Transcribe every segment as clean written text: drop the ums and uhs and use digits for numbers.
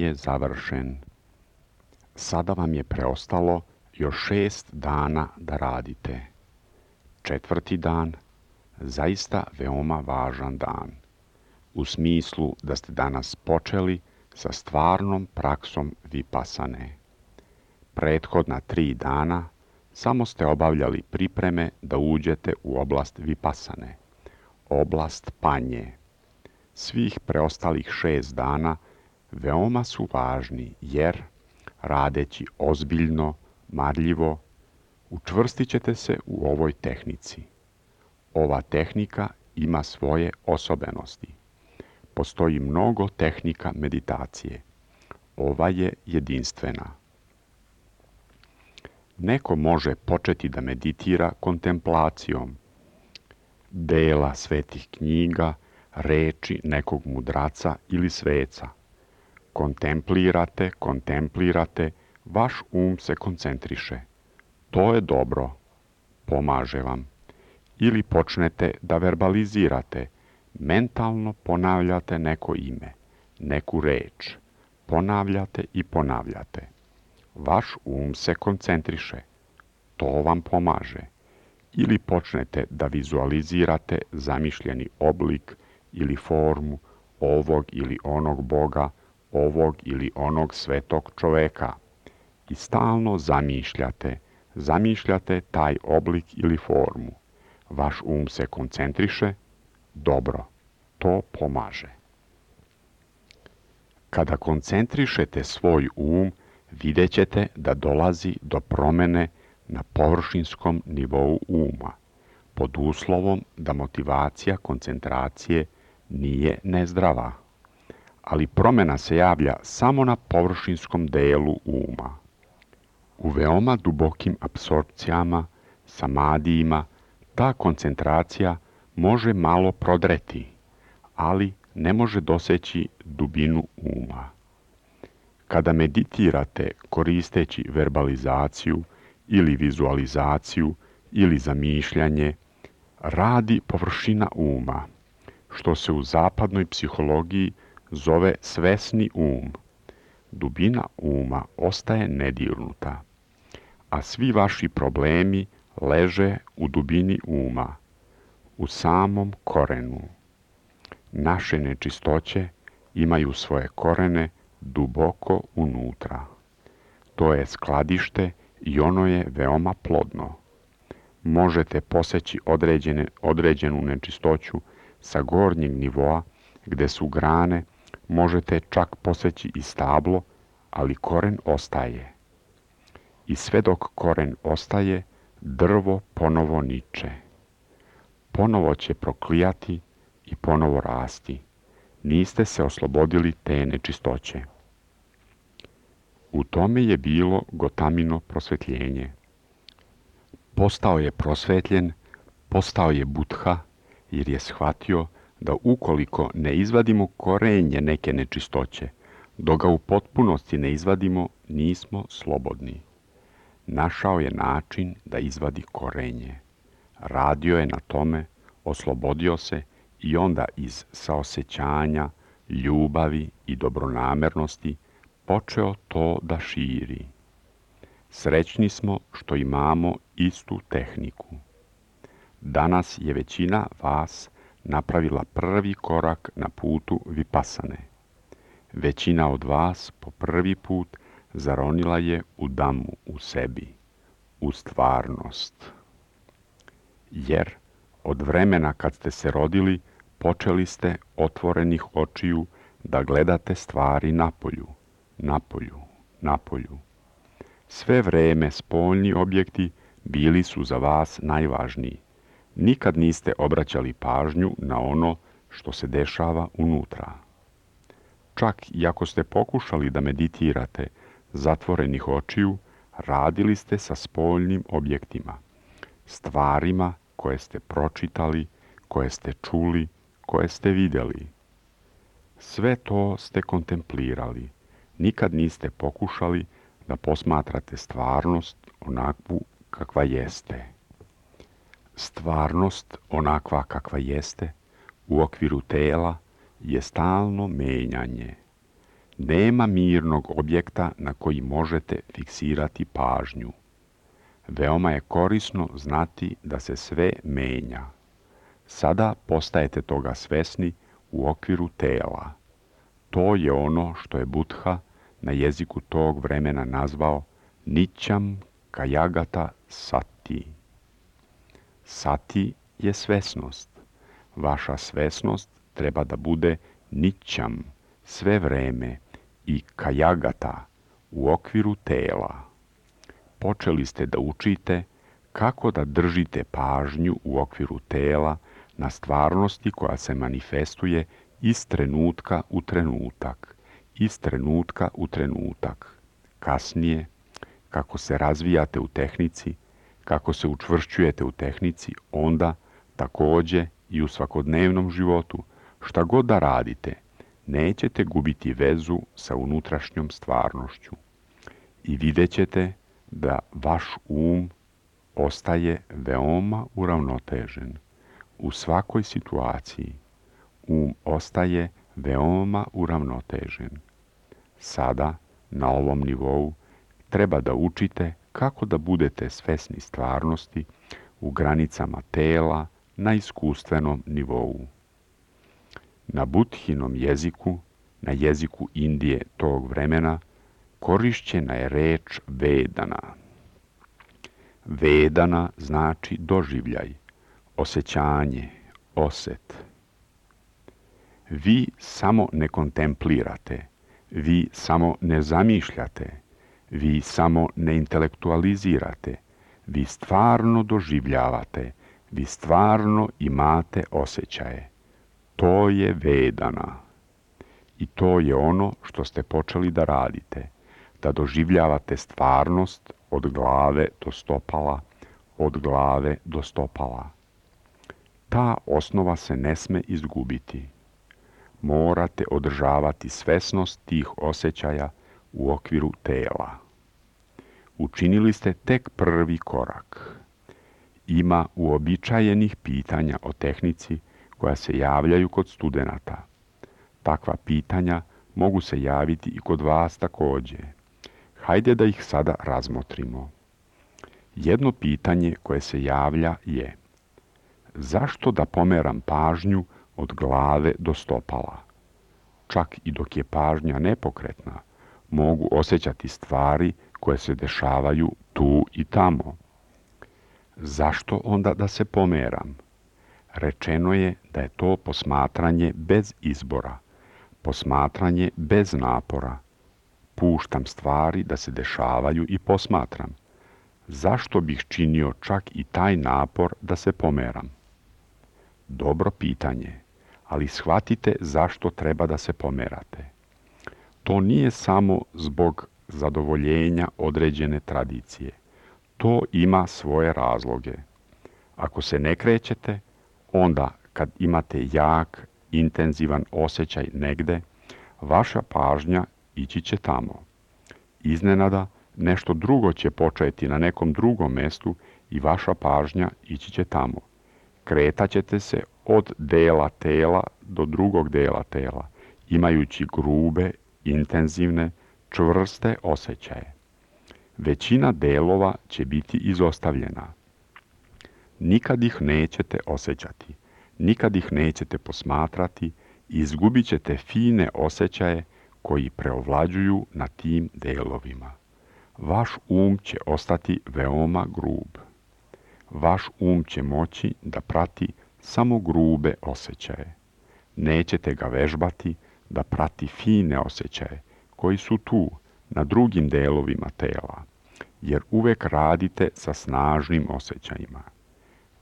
je završen. Sada vam je preostalo još 6 dana da radite. 4. dan, zaista veoma važan dan. U smislu da ste danas počeli sa stvarnom praksom vipasane. Prethodna 3 dana samo ste obavljali pripreme da uđete u oblast vipasane, oblast panje. Svih preostalih 6 dana veoma su važni jer, radeći ozbiljno, marljivo, učvrstit ćete se u ovoj tehnici. Ova tehnika ima svoje osobenosti. Postoji mnogo tehnika meditacije. Ova je jedinstvena. Neko može početi da meditira kontemplacijom dela svetih knjiga, reči nekog mudraca ili sveca. Kontemplirate, vaš se koncentriše. To je dobro, pomaže vam. Ili počnete da verbalizirate, mentalno ponavljate neko ime, neku reč. Ponavljate. Vaš se koncentriše. To vam pomaže. Ili počnete da vizualizirate zamišljeni oblik ili formu ovog ili onog Boga, ovog ili onog svetog čoveka. I stalno zamišljate taj oblik ili formu. Vaš se koncentriše. Dobro, to pomaže. Kada koncentrišete svoj vidjet ćete da dolazi do promene na površinskom nivou uma, pod uslovom da motivacija koncentracije nije nezdrava. Ali promena se javlja samo na površinskom delu uma. U veoma dubokim apsorpcijama, samadijima, ta koncentracija može malo prodreti, ali ne može doseći dubinu uma. Kada meditirate koristeći verbalizaciju ili vizualizaciju ili zamišljanje, radi površina uma, što se u zapadnoj psihologiji zove svesni Dubina uma ostaje nedirnuta, a svi vaši problemi leže u dubini uma, u samom korenu. Naše nečistoće imaju svoje korene duboko unutra. To je skladište i ono je veoma plodno. Možete poseći određenu nečistoću sa gornjeg nivoa gde su grane, možete čak poseći i stablo, ali koren ostaje. I sve dok koren ostaje, drvo ponovo niče. Ponovo će proklijati i ponovo rasti. Niste se oslobodili te nečistoće. U tome je bilo Gotamino prosvetljenje. Postao je prosvetljen, postao je Budha, jer je shvatio da ukoliko ne izvadimo korenje neke nečistoće, dok ga u potpunosti ne izvadimo, nismo slobodni. Našao je način da izvadi korenje. Radio je na tome, oslobodio se i onda iz saosećanja, ljubavi i dobronamernosti počeo to da širi. Srećni smo što imamo istu tehniku. Danas je većina vas napravila prvi korak na putu vipasane. Većina od vas po prvi put zaronila je u damu u sebi, u stvarnost. Jer od vremena kad ste se rodili, počeli ste otvorenih očiju da gledate stvari napolju. Sve vreme spoljni objekti bili su za vas najvažniji. Nikad niste obraćali pažnju na ono što se dešava unutra. Čak i ako ste pokušali da meditirate zatvorenih očiju, radili ste sa spoljnim objektima, stvarima koje ste pročitali, koje ste čuli, koje ste vidjeli. Sve to ste kontemplirali. Nikad niste pokušali da posmatrate stvarnost onakvu kakva jeste. Stvarnost onakva kakva jeste u okviru tela je stalno menjanje. Nema mirnog objekta na koji možete fiksirati pažnju. Veoma je korisno znati da se sve menja. Sada postajete toga svesni u okviru tela. To je ono što je Buddha na jeziku tog vremena nazvao Nićam Kajagata Sati. Sati je svesnost. Vaša svesnost treba da bude nićam sve vreme i kajagata u okviru tela. Počeli ste da učite kako da držite pažnju u okviru tela na stvarnosti koja se manifestuje iz trenutka u trenutak, iz trenutka u trenutak. Kasnije, kako se razvijate u tehnici, kako se učvršćujete u tehnici, onda takođe i u svakodnevnom životu, šta god da radite, nećete gubiti vezu sa unutrašnjom stvarnošću. I vidjet ćete da vaš ostaje veoma uravnotežen. U svakoj situaciji ostaje veoma uravnotežen. Sada, na ovom nivou, treba da učite kako da budete svesni stvarnosti u granicama tela na iskustvenom nivou. Na Budhinom jeziku, na jeziku Indije tog vremena, korišćena je reč Vedana. Vedana znači doživljaj, osjećanje, oset. Vi samo ne kontemplirate, vi samo ne zamišljate, vi samo ne intelektualizirate, vi stvarno doživljavate, vi stvarno imate osjećaje. To je Vedana. I to je ono što ste počeli da radite, da doživljavate stvarnost od glave do stopala, od glave do stopala. Ta osnova se ne sme izgubiti. Morate održavati svesnost tih osjećaja u okviru tela. Učinili ste tek prvi korak. Ima uobičajenih pitanja o tehnici koja se javljaju kod studenata. Takva pitanja mogu se javiti i kod vas takođe. Hajde da ih sada razmotrimo. Jedno pitanje koje se javlja je: zašto da pomeram pažnju od glave do stopala? Čak i dok je pažnja nepokretna, mogu osjećati stvari koje se dešavaju tu i tamo. Zašto onda da se pomeram? Rečeno je da je to posmatranje bez izbora, posmatranje bez napora. Puštam stvari da se dešavaju i posmatram. Zašto bih činio čak i taj napor da se pomeram? Dobro pitanje, ali shvatite zašto treba da se pomerate. To nije samo zbog zadovoljenja određene tradicije. To ima svoje razloge. Ako se ne krećete, onda kad imate jak, intenzivan osjećaj negde, vaša pažnja ići će tamo. Iznenada nešto drugo će početi na nekom drugom mestu i vaša pažnja ići će tamo. Kretaćete se od dela tela do drugog dela tela, imajući grube, intenzivne, čvrste osjećaje. Većina delova će biti izostavljena. Nikad ih nećete osjećati, nikad ih nećete posmatrati i izgubit ćete fine osjećaje koji preovlađuju na tim delovima. Vaš će ostati veoma grub. Vaš će moći da prati samo grube osjećaje. Nećete ga vežbati da prati fine osjećaje koji su tu, na drugim delovima tela, jer uvek radite sa snažnim osjećajima.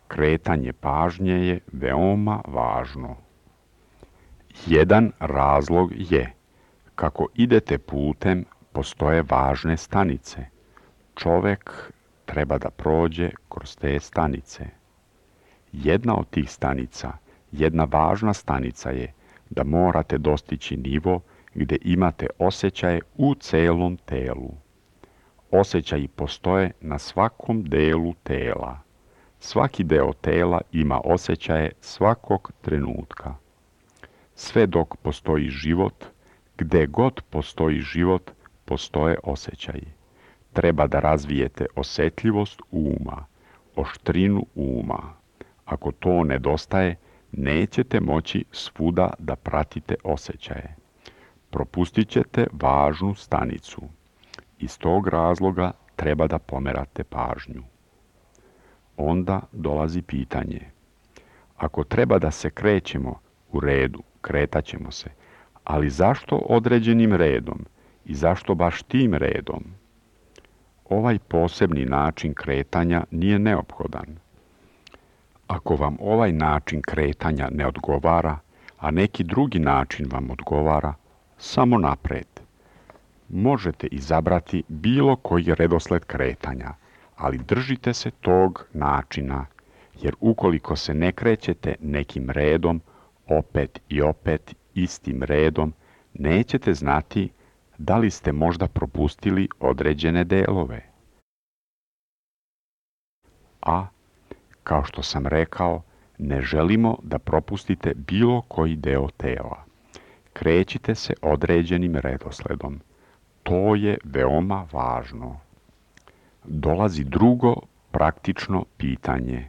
Kretanje pažnje je veoma važno. Jedan razlog je: kako idete putem, postoje važne stanice. Čovek treba da prođe kroz te stanice. Jedna od tih stanica, jedna važna stanica je da morate dostići nivo gde imate osjećaje u celom telu. Osjećaji postoje na svakom delu tela. Svaki deo tela ima osjećaje svakog trenutka. Sve dok postoji život, Gde god postoji život, postoje osjećaji. Treba da razvijete osjetljivost uma, oštrinu uma. Ako to nedostaje, nećete moći svuda da pratite osjećaje. Propustit ćete važnu stanicu. Iz tog razloga treba da pomerate pažnju. Onda dolazi pitanje. Ako treba da se krećemo u redu, kretaćemo se, ali zašto određenim redom i zašto baš tim redom? Ovaj posebni način kretanja nije neophodan. Ako vam ovaj način kretanja ne odgovara, a neki drugi način vam odgovara, samo napred. Možete izabrati bilo koji redosled kretanja, ali držite se tog načina, jer ukoliko se ne krećete nekim redom, opet i opet istim redom, nećete znati da li ste možda propustili određene delove. A, kao što sam rekao, ne želimo da propustite bilo koji deo tela. Krećite se određenim redosledom. To je veoma važno. Dolazi drugo praktično pitanje.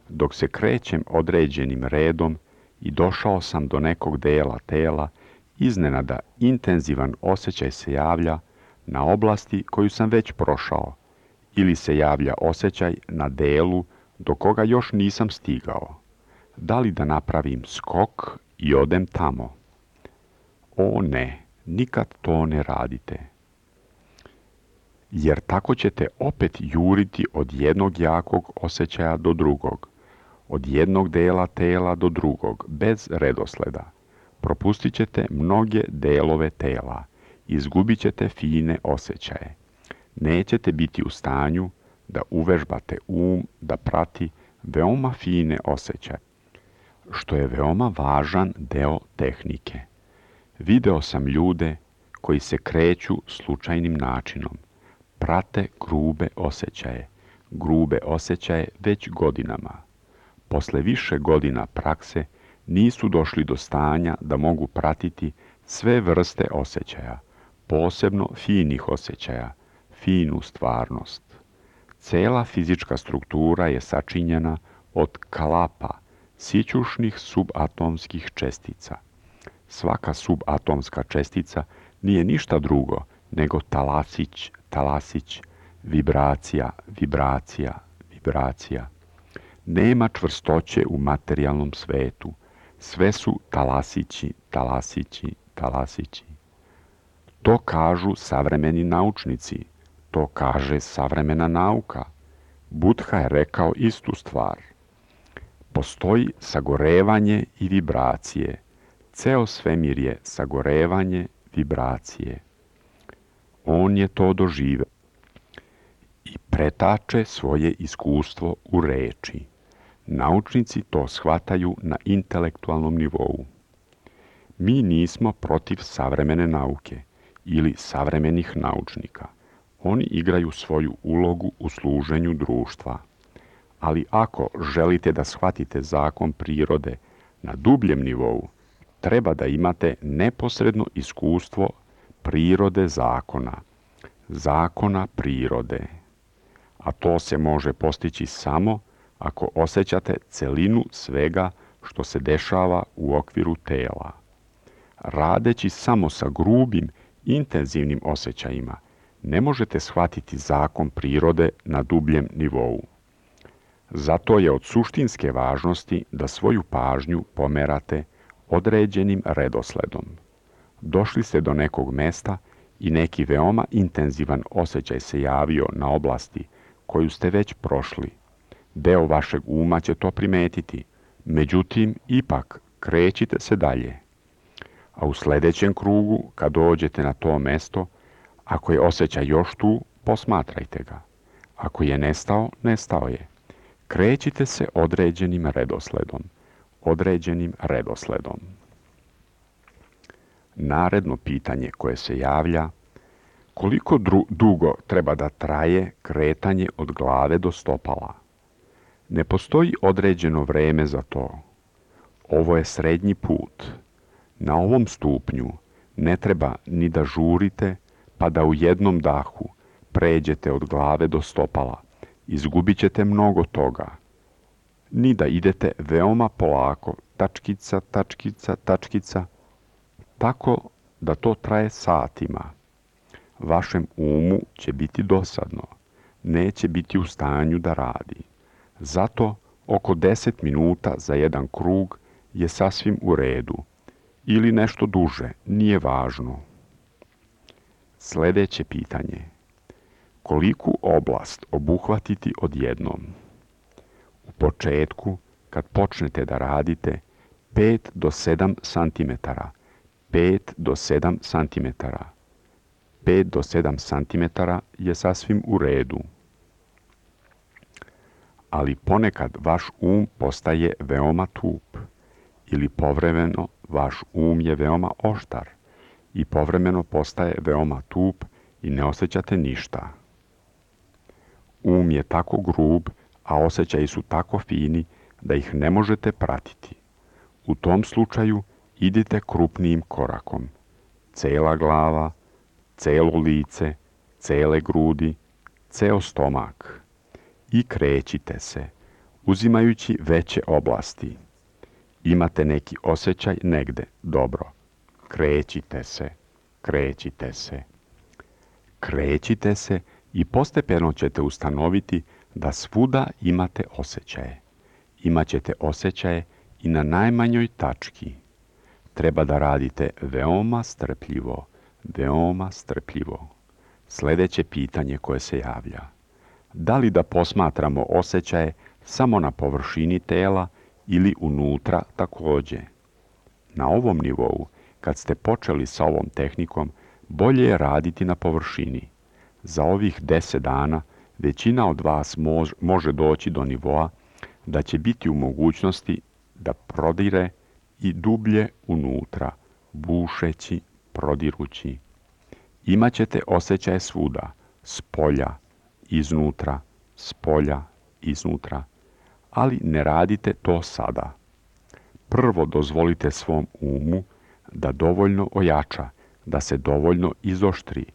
Dok se krećem određenim redom i došao sam do nekog dela tela, iznenada intenzivan osjećaj se javlja na oblasti koju sam već prošao, ili se javlja osjećaj na delu do koga još nisam stigao. Da li da napravim skok i odem tamo? O ne, nikad to ne radite. Jer tako ćete opet juriti od jednog jakog osjećaja do drugog, od jednog dela tela do drugog, bez redosleda. Propustit ćete mnoge delove tela, izgubit ćete fine osjećaje. Nećete biti u stanju da uvežbate da prati veoma fine osjećaje, što je veoma važan deo tehnike. Video sam ljude koji se kreću slučajnim načinom, prate grube osjećaje već godinama. Posle više godina prakse nisu došli do stanja da mogu pratiti sve vrste osjećaja, posebno finih osjećaja, finu stvarnost. Cela fizička struktura je sačinjena od kalapa, sićušnih subatomskih čestica. Svaka subatomska čestica nije ništa drugo nego talasić, vibracija. Nema čvrstoće u materijalnom svetu. Sve su talasići. To kažu savremeni naučnici. To kaže savremena nauka. Buddha je rekao istu stvar. Postoji sagorevanje i vibracije. Ceo svemir je sagorevanje vibracije. On je to doživeo i pretače svoje iskustvo u reči. Naučnici to shvataju na intelektualnom nivou. Mi nismo protiv savremene nauke ili savremenih naučnika. Oni igraju svoju ulogu u služenju društva. Ali ako želite da shvatite zakon prirode na dubljem nivou, treba da imate neposredno iskustvo prirode zakona prirode. A to se može postići samo ako osjećate celinu svega što se dešava u okviru tela. Radeći samo sa grubim, intenzivnim osjećajima, ne možete shvatiti zakon prirode na dubljem nivou. Zato je od suštinske važnosti da svoju pažnju pomerate određenim redosledom. Došli ste do nekog mesta i neki veoma intenzivan osjećaj se javio na oblasti koju ste već prošli. Deo vašeg uma će to primetiti, međutim, ipak krećite se dalje. A u sljedećem krugu, kad dođete na to mesto, ako je osjećaj još tu, posmatrajte ga. Ako je nestao, nestao je. Krećite se određenim redosledom. Naredno pitanje koje se javlja, koliko dugo treba da traje kretanje od glave do stopala? Ne postoji određeno vreme za to. Ovo je srednji put. Na ovom stupnju Ne treba ni da žurite, pa da u jednom dahu pređete od glave do stopala. Izgubit ćete mnogo toga. Ni da idete veoma polako, tačkica, tačkica, tačkica, tako da to traje satima. Vašem umu će biti dosadno, neće biti u stanju da radi. Zato oko 10 minuta za jedan krug je sasvim u redu, ili nešto duže, nije važno. Sljedeće pitanje. Koliku oblast obuhvatiti odjednom? U početku, kad počnete da radite, 5 do 7 cm, 5 do 7 cm. 5 do 7 cm je sasvim u redu. Ali ponekad vaš postaje veoma tup ili povremeno vaš je veoma oštar i povremeno postaje veoma tup i ne osjećate ništa. Je tako grub, a osjećaji su tako fini da ih ne možete pratiti. U tom slučaju idite krupnijim korakom. Cela glava, celo lice, cele grudi, ceo stomak. I krećite se, uzimajući veće oblasti. Imate neki osjećaj negde, dobro. Krećite se, krećite se. Krećite se i postepeno ćete ustanoviti da svuda imate osjećaje. Imaćete osjećaje i na najmanjoj tački. Treba da radite veoma strpljivo, veoma strpljivo. Sljedeće pitanje koje se javlja. Da li da posmatramo osjećaje samo na površini tela ili unutra također? Na ovom nivou, kad ste počeli sa ovom tehnikom, bolje je raditi na površini. Za ovih 10 dana većina od vas može doći do nivoa da će biti u mogućnosti da prodire i dublje unutra, bušeći, prodirući. Imaćete osjećaje svuda, spolja, iznutra, spolja, iznutra, ali ne radite to sada. Prvo dozvolite svom umu da dovoljno ojača, da se dovoljno izoštri,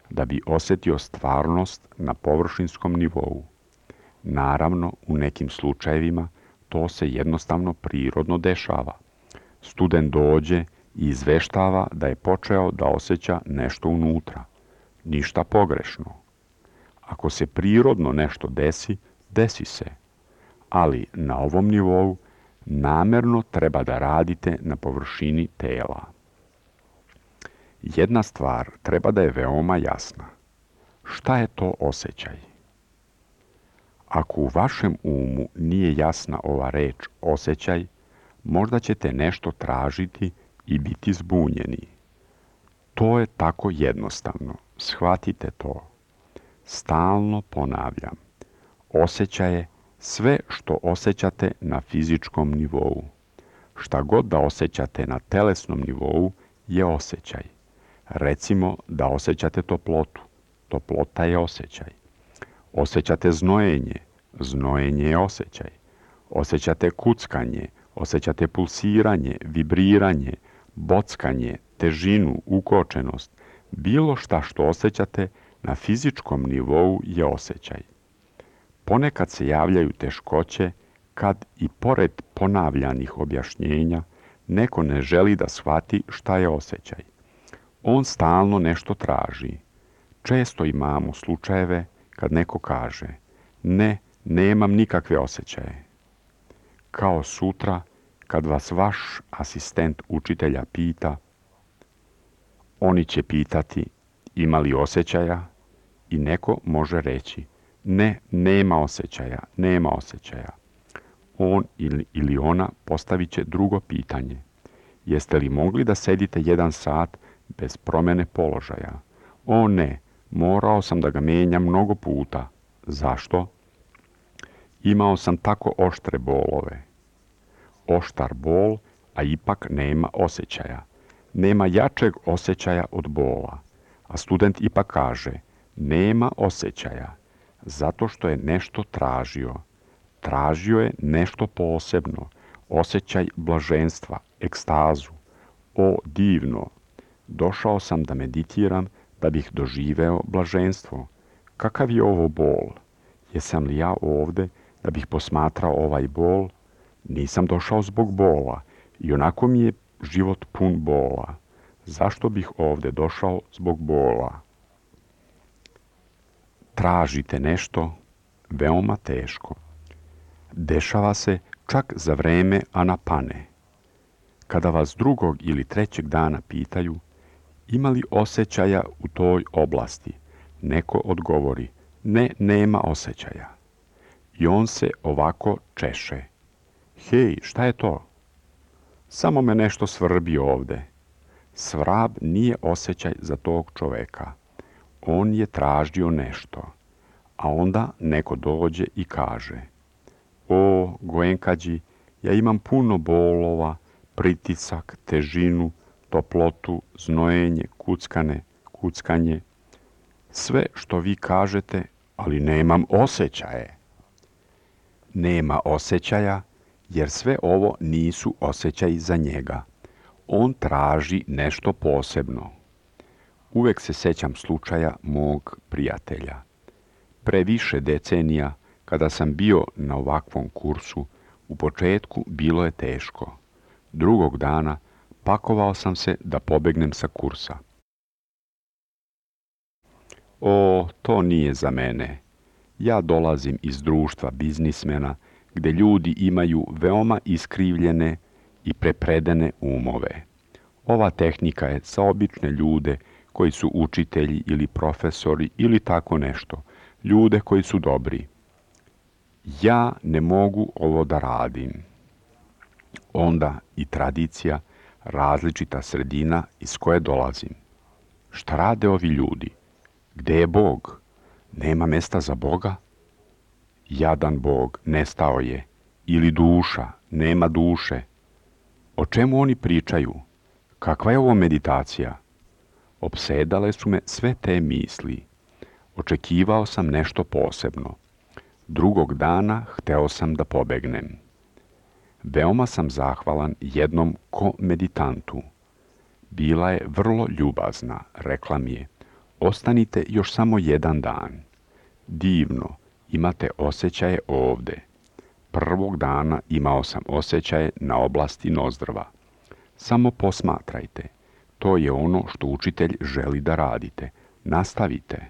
da bi osjetio stvarnost na površinskom nivou. Naravno, u nekim slučajevima to se jednostavno prirodno dešava. Student dođe i izveštava da je počeo da osjeća nešto unutra. Ništa pogrešno. Ako se prirodno nešto desi, desi se. Ali na ovom nivou namerno treba da radite na površini tela. Jedna stvar treba da je veoma jasna. Šta je to osjećaj? Ako u vašem umu nije jasna ova reč osjećaj, možda ćete nešto tražiti i biti zbunjeni. To je tako jednostavno. Shvatite to. Stalno ponavljam. Osjećaj je sve što osjećate na fizičkom nivou. Šta god da osjećate na telesnom nivou je osjećaj. Recimo da osjećate toplotu. Toplota je osjećaj. Osjećate znojenje. Znojenje je osjećaj. Osjećate kuckanje. Osjećate pulsiranje, vibriranje, bockanje, težinu, ukočenost. Bilo šta što osjećate na fizičkom nivou je osjećaj. Ponekad se javljaju teškoće kad i pored ponavljanih objašnjenja neko ne želi da shvati šta je osjećaj. On stalno nešto traži. Često imamo slučajeve kad neko kaže ne, nemam nikakve osjećaje. Kao sutra kad vas vaš asistent učitelja pita, oni će pitati ima li osjećaja i neko može reći ne, nema osjećaja, nema osjećaja. On ili ona postavit će drugo pitanje. Jeste li mogli da sedite 1 sat bez promjene položaja? O ne, morao sam da ga menjam mnogo puta. Zašto? Imao sam tako oštre bolove. Oštar bol, a ipak nema osjećaja. Nema jačeg osjećaja od bola. A student ipak kaže, nema osjećaja, zato što je nešto tražio. Tražio je nešto posebno, osjećaj blaženstva, ekstazu. O, divno! Došao sam da meditiram da bih doživeo blaženstvo. Kakav je ovo bol? Jesam li ja ovde da bih posmatrao ovaj bol? Nisam došao zbog bola. I onako mi je život pun bola. Zašto bih ovde došao zbog bola? Tražite nešto veoma teško. Dešava se čak za vreme anapane. Kada vas drugog ili trećeg dana pitaju ima li osjećaja u toj oblasti, neko odgovori ne, nema osjećaja. I on se ovako češe. Hej, šta je to? Samo me nešto svrbi ovde. Svrab nije osjećaj za tog čoveka. On je tražio nešto. A onda neko dođe i kaže o, Goenkađi, ja imam puno bolova, pritisak, težinu, toplotu, znojenje, kuckanje. Sve što vi kažete, ali nemam osjećaje. Nema osjećaja, jer sve ovo nisu osjećaji za njega. On traži nešto posebno. Uvek se sećam slučaja mog prijatelja. Pre više decenija, kada sam bio na ovakvom kursu, u početku bilo je teško. Drugog dana pakovao sam se da pobegnem sa kursa. O, to nije za mene. Ja dolazim iz društva biznismena, gde ljudi imaju veoma iskrivljene i prepredene umove. Ova tehnika je za obične ljude koji su učitelji ili profesori ili tako nešto, ljude koji su dobri. Ja ne mogu ovo da radim. Onda i tradicija, različita sredina iz koje dolazim. Šta rade ovi ljudi? Gde je Bog? Nema mesta za Boga? Jadan Bog, nestao je. Ili duša, nema duše. O čemu oni pričaju? Kakva je ovo meditacija? Opsedale su me sve te misli. Očekivao sam nešto posebno. Drugog dana hteo sam da pobegnem. Veoma sam zahvalan jednom ko-meditantu. Bila je vrlo ljubazna, rekla mi je, ostanite još samo jedan dan. Divno, imate osjećaje ovde. Prvog dana imao sam osjećaje na oblasti nozdrva. Samo posmatrajte, to je ono što učitelj želi da radite. Nastavite.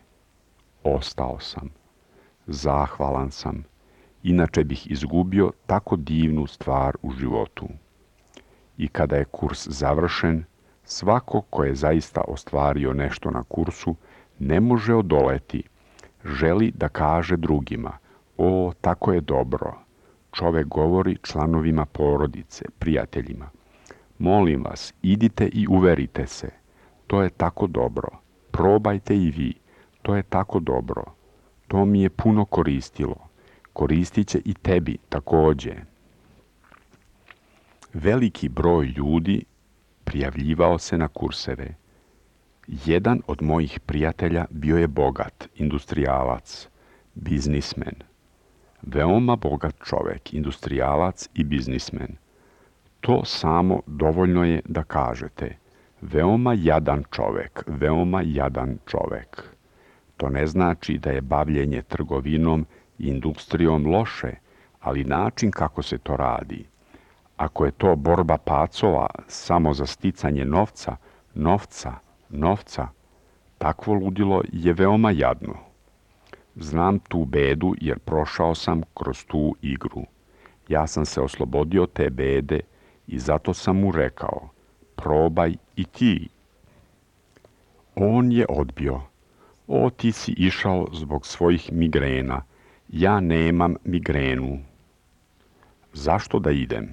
Ostao sam. Zahvalan sam. Inače bih izgubio tako divnu stvar u životu. I kada je kurs završen, svako ko je zaista ostvario nešto na kursu ne može odoleti. Želi da kaže drugima, o, tako je dobro. Čovek govori članovima porodice, prijateljima. Molim vas, idite i uverite se. To je tako dobro. Probajte i vi. To je tako dobro. To mi je puno koristilo. Koristit će i tebi takođe. Veliki broj ljudi prijavljivao se na kurseve. Jedan od mojih prijatelja bio je bogat, industrijalac, biznismen. Veoma bogat čovek, industrijalac i biznismen. To samo dovoljno je da kažete. Veoma jadan čovek, veoma jadan čovek. To ne znači da je bavljenje trgovinom i industrijom loše, ali način kako se to radi. Ako je to borba pacova samo za sticanje novca, takvo ludilo je veoma jadno. Znam tu bedu jer prošao sam kroz tu igru. Ja sam se oslobodio te bede i zato sam mu rekao, probaj i ti. On je odbio. O, ti si išao zbog svojih migrena. Ja nemam migrenu. Zašto da idem?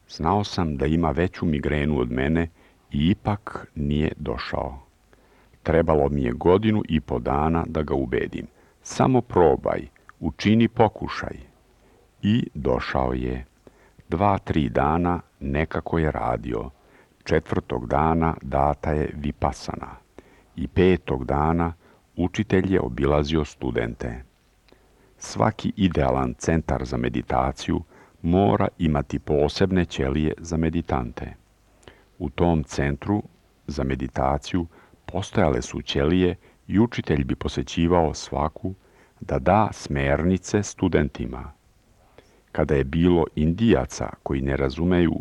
Znao sam da ima veću migrenu od mene i ipak nije došao. Trebalo mi je 1,5 dana da ga ubedim. Samo probaj, učini pokušaj. I došao je. 2-3 dana nekako je radio. 4. dana data je vipasana. I 5. dana učitelj je obilazio studente. Svaki idealan centar za meditaciju mora imati posebne ćelije za meditante. U tom centru za meditaciju postojale su ćelije i učitelj bi posećivao svaku da da smernice studentima. Kada je bilo Indijaca koji ne razumeju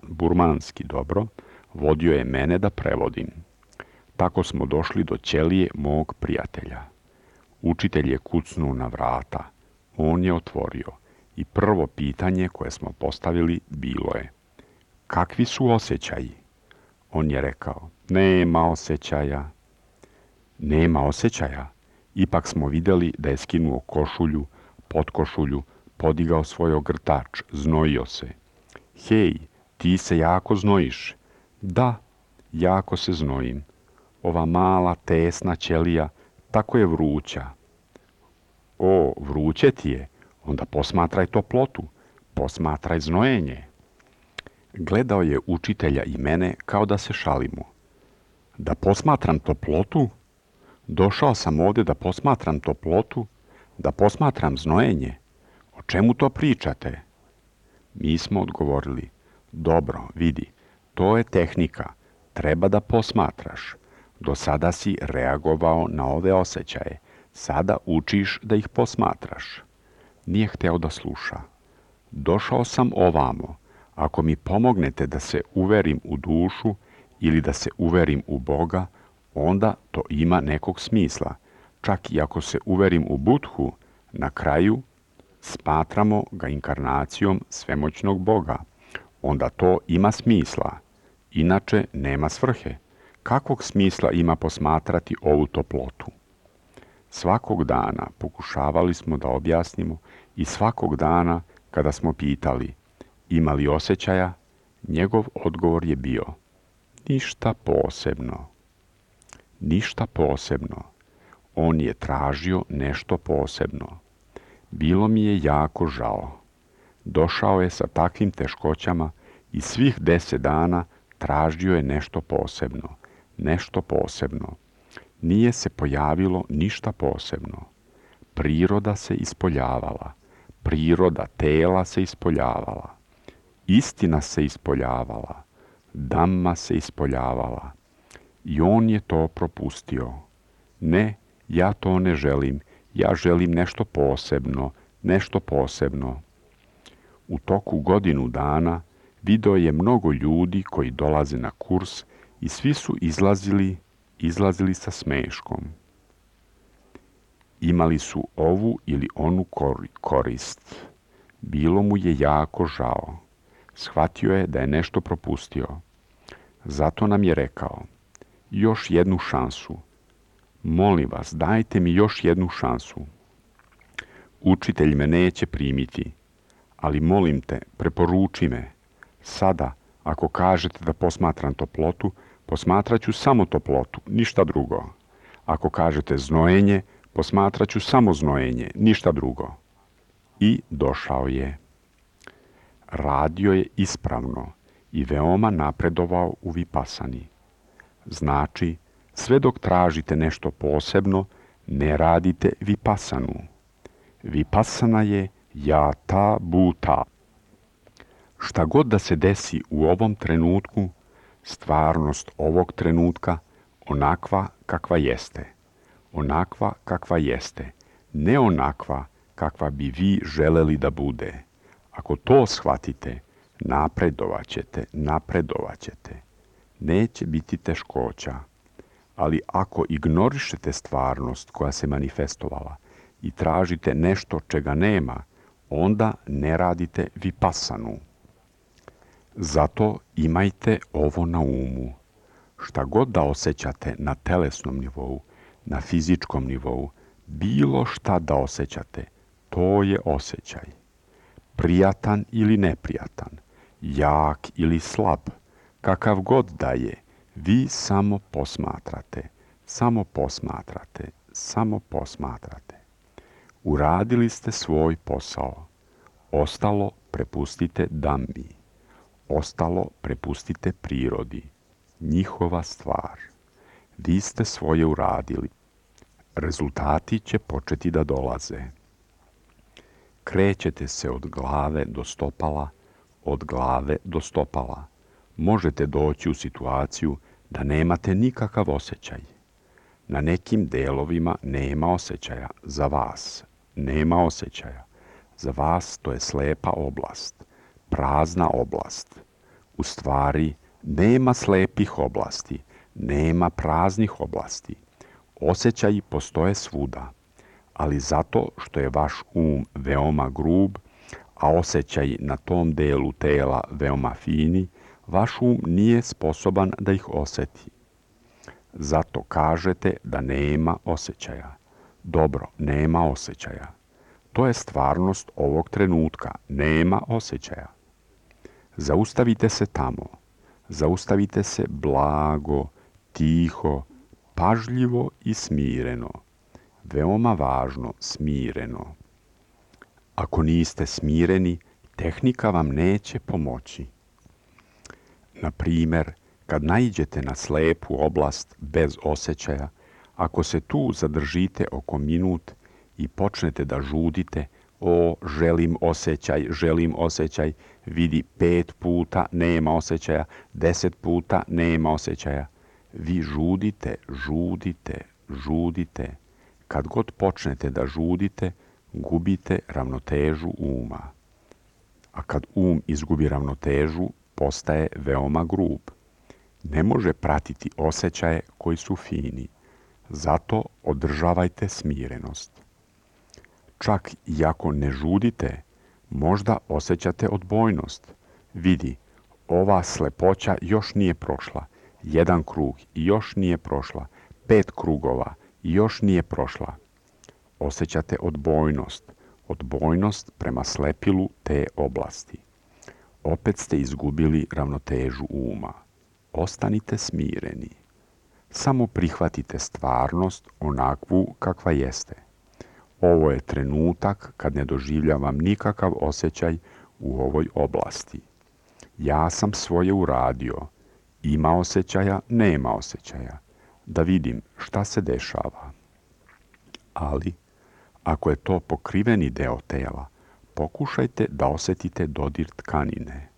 burmanski dobro, vodio je mene da prevodim. Tako smo došli do ćelije mog prijatelja. Učitelj je kucnuo na vrata. On je otvorio i prvo pitanje koje smo postavili bilo je: kakvi su osjećaji? On je rekao: nema osjećaja. Nema osjećaja? Ipak smo vidjeli da je skinuo košulju, potkošulju, podigao svoj ogrtač, znojio se. Hej, ti se jako znojiš. Da, jako se znojim. Ova mala, tesna ćelija, tako je vruća. O, vruće ti je, onda posmatraj toplotu, posmatraj znojenje. Gledao je učitelja i mene kao da se šalimo. Da posmatram toplotu? Došao sam ovdje da posmatram toplotu, da posmatram znojenje. O čemu to pričate? Mi smo odgovorili: dobro, vidi, to je tehnika, treba da posmatraš. Do sada si reagovao na ove osjećaje, sada učiš da ih posmatraš. Nije hteo da sluša. Došao sam ovamo, ako mi pomognete da se uverim u dušu ili da se uverim u Boga, onda to ima nekog smisla. Čak i ako se uverim u Budhu, na kraju smatramo ga inkarnacijom svemoćnog Boga. Onda to ima smisla. Inače nema svrhe. Kakvog smisla ima posmatrati ovu toplotu? Svakog dana pokušavali smo da objasnimo i svakog dana kada smo pitali: ima li osjećaja? Njegov odgovor je bio: ništa posebno. Ništa posebno. On je tražio nešto posebno. Bilo mi je jako žao. Došao je sa takvim teškoćama i svih 10 dana tražio je nešto posebno. Nešto posebno. Nije se pojavilo ništa posebno. Priroda se ispoljavala. Priroda tela se ispoljavala. Istina se ispoljavala. Dhamma se ispoljavala. I on je to propustio. Ne, ja to ne želim. Ja želim nešto posebno. Nešto posebno. U toku godinu dana video je mnogo ljudi koji dolaze na kurs i svi su izlazili sa smeškom. Imali su ovu ili onu korist. Bilo mu je jako žao. Shvatio je da je nešto propustio. Zato nam je rekao: još jednu šansu. Molim vas, dajte mi još jednu šansu. Učitelj me neće primiti, ali molim te, preporuči me. Sada, ako kažete da posmatram toplotu, posmatrat ću samo toplotu, ništa drugo. Ako kažete znojenje, posmatrat ću samo znojenje, ništa drugo. I došao je. Radio je ispravno i veoma napredovao u vipasani. Znači, sve dok tražite nešto posebno, ne radite vipasanu. Vipasana je jata bhuta. Šta god da se desi u ovom trenutku, stvarnost ovog trenutka onakva kakva jeste. Onakva kakva jeste. Ne onakva kakva bi vi želeli da bude. Ako to shvatite, napredovat ćete. Neće biti teškoća. Ali ako ignorišete stvarnost koja se manifestovala i tražite nešto čega nema, onda ne radite vipasanu. Zato imajte ovo na umu. Šta god da osjećate na telesnom nivou, na fizičkom nivou, bilo šta da osjećate, to je osjećaj. Prijatan ili neprijatan, jak ili slab, kakav god da je, vi samo posmatrate, samo posmatrate, samo posmatrate. Uradili ste svoj posao. Ostalo prepustite Dhammi. Ostalo prepustite prirodi. Njihova stvar. Vi ste svoje uradili. Rezultati će početi da dolaze. Krećete se od glave do stopala, od glave do stopala. Možete doći u situaciju da nemate nikakav osjećaj. Na nekim delovima nema osjećaja za vas. Nema osjećaja. Za vas to je slepa oblast, prazna oblast. U stvari, nema slepih oblasti, nema praznih oblasti. Osjećaji postoje svuda, ali zato što je vaš veoma grub, a osjećaji na tom delu tela veoma fini, vaš nije sposoban da ih osjeti. Zato kažete da nema osjećaja. Dobro, nema osjećaja. To je stvarnost ovog trenutka. Nema osjećaja. Zaustavite se tamo. Zaustavite se blago, tiho, pažljivo i smireno. Veoma važno, smireno. Ako niste smireni, tehnika vam neće pomoći. Na primjer, kad naiđete na slepu oblast bez osjećaja, ako se tu zadržite oko minut i počnete da žudite, želim osjećaj, vidi 5 puta, nema osjećaja, 10 puta, nema osjećaja. Vi žudite. Kad god počnete da žudite, gubite ravnotežu uma. A kad izgubi ravnotežu, postaje veoma grub. Ne može pratiti osjećaje koji su fini. Zato održavajte smirenost. Čak i ako ne žudite, možda osjećate odbojnost. Vidi, ova slepoća još nije prošla. 1 krug i još nije prošla. 5 krugova i još nije prošla. Osjećate odbojnost prema slepilu te oblasti. Opet ste izgubili ravnotežu uma. Ostanite smireni. Samo prihvatite stvarnost onakvu kakva jeste. Ovo je trenutak kad ne doživljavam nikakav osjećaj u ovoj oblasti. Ja sam svoje uradio. Ima osjećaja, nema osjećaja. Da vidim šta se dešava. Ali, ako je to pokriveni deo tela, pokušajte da osjetite dodir tkanine.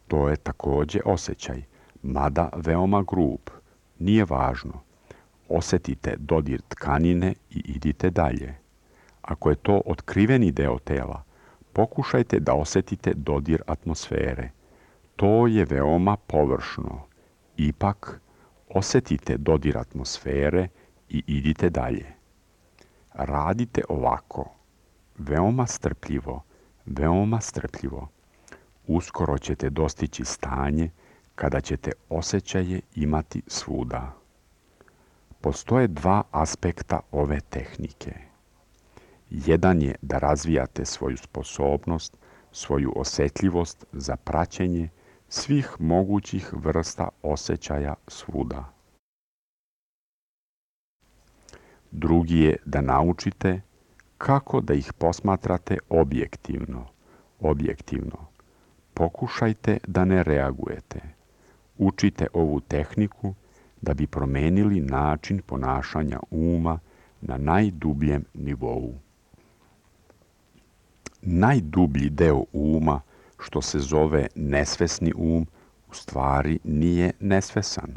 To je također osjećaj, mada veoma grub. Nije važno. Osjetite dodir tkanine i idite dalje. Ako je to otkriveni deo tela, pokušajte da osjetite dodir atmosfere. To je veoma površno. Ipak, osjetite dodir atmosfere i idite dalje. Radite ovako. Veoma strpljivo. Uskoro ćete dostići stanje kada ćete osjećaje imati svuda. Postoje 2 aspekta ove tehnike. Jedan je da razvijate svoju sposobnost, svoju osjetljivost za praćenje svih mogućih vrsta osjećaja svuda. Drugi je da naučite kako da ih posmatrate objektivno. Pokušajte da ne reagujete. Učite ovu tehniku da bi promenili način ponašanja uma na najdubljem nivou. Najdublji deo uma, što se zove nesvesni u stvari nije nesvesan.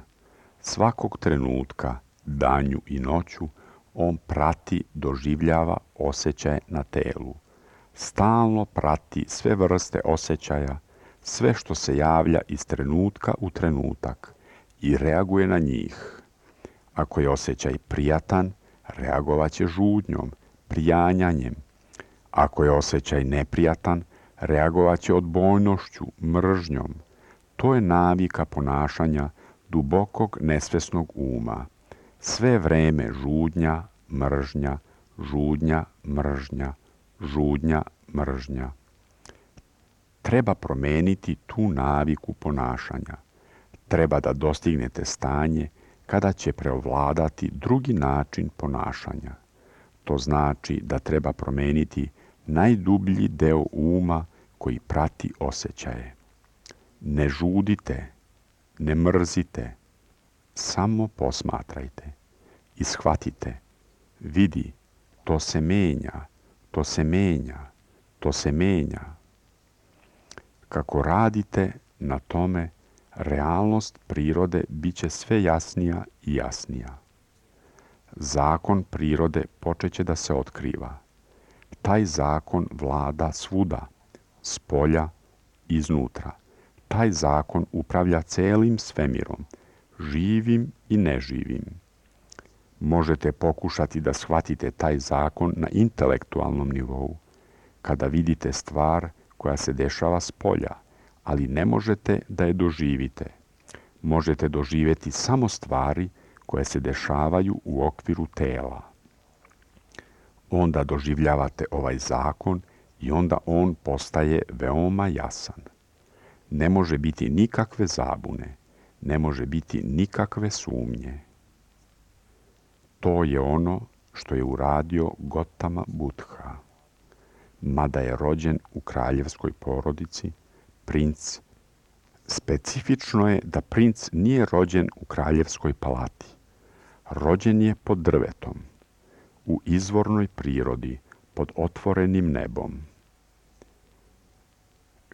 Svakog trenutka, danju i noću, on prati, doživljava osjećaje na telu. Stalno prati sve vrste osjećaja, sve što se javlja iz trenutka u trenutak i reaguje na njih. Ako je osjećaj prijatan, reagovat će žudnjom, prijanjanjem. Ako je osjećaj neprijatan, reagovat će odbojnošću, mržnjom. To je navika ponašanja dubokog nesvesnog uma. Sve vreme žudnja, mržnja, žudnja, mržnja, žudnja, mržnja. Treba promeniti tu naviku ponašanja. Treba da dostignete stanje kada će preovladati drugi način ponašanja. To znači da treba promeniti najdublji deo uma koji prati osjećaje. Ne žudite, ne mrzite, samo posmatrajte i shvatite. Vidi, to se menja. Kako radite na tome, realnost prirode bit će sve jasnija i jasnija. Zakon prirode počeće da se otkriva. Taj zakon vlada svuda, spolja, iznutra. Taj zakon upravlja celim svemirom, živim i neživim. Možete pokušati da shvatite taj zakon na intelektualnom nivou, kada vidite stvar koja se dešava spolja, ali ne možete da je doživite. Možete doživjeti samo stvari koje se dešavaju u okviru tela. Onda doživljavate ovaj zakon i onda on postaje veoma jasan. Ne može biti nikakve zabune, ne može biti nikakve sumnje. To je ono što je uradio Gotama Buddha. Mada je rođen u kraljevskoj porodici, princ, specifično je da princ nije rođen u kraljevskoj palati. Rođen je pod drvetom, u izvornoj prirodi, pod otvorenim nebom.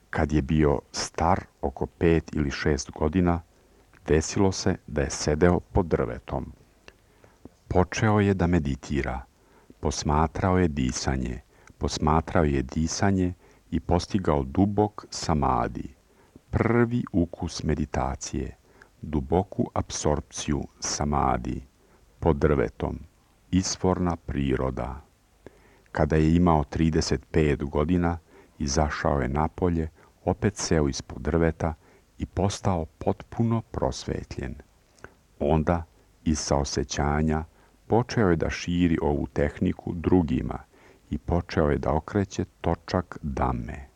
Kad je bio star oko 5 ili 6 godina, desilo se da je sedeo pod drvetom. Počeo je da meditira, posmatrao je disanje i postigao dubok samadi, prvi ukus meditacije, duboku apsorpciju samadi, pod drvetom, izvorna priroda. Kada je imao 35 godina, izašao je napolje, opet seo ispod drveta i postao potpuno prosvetljen. Onda, iz saosećanja, počeo je da širi ovu tehniku drugima i počeo je da okreće točak dame.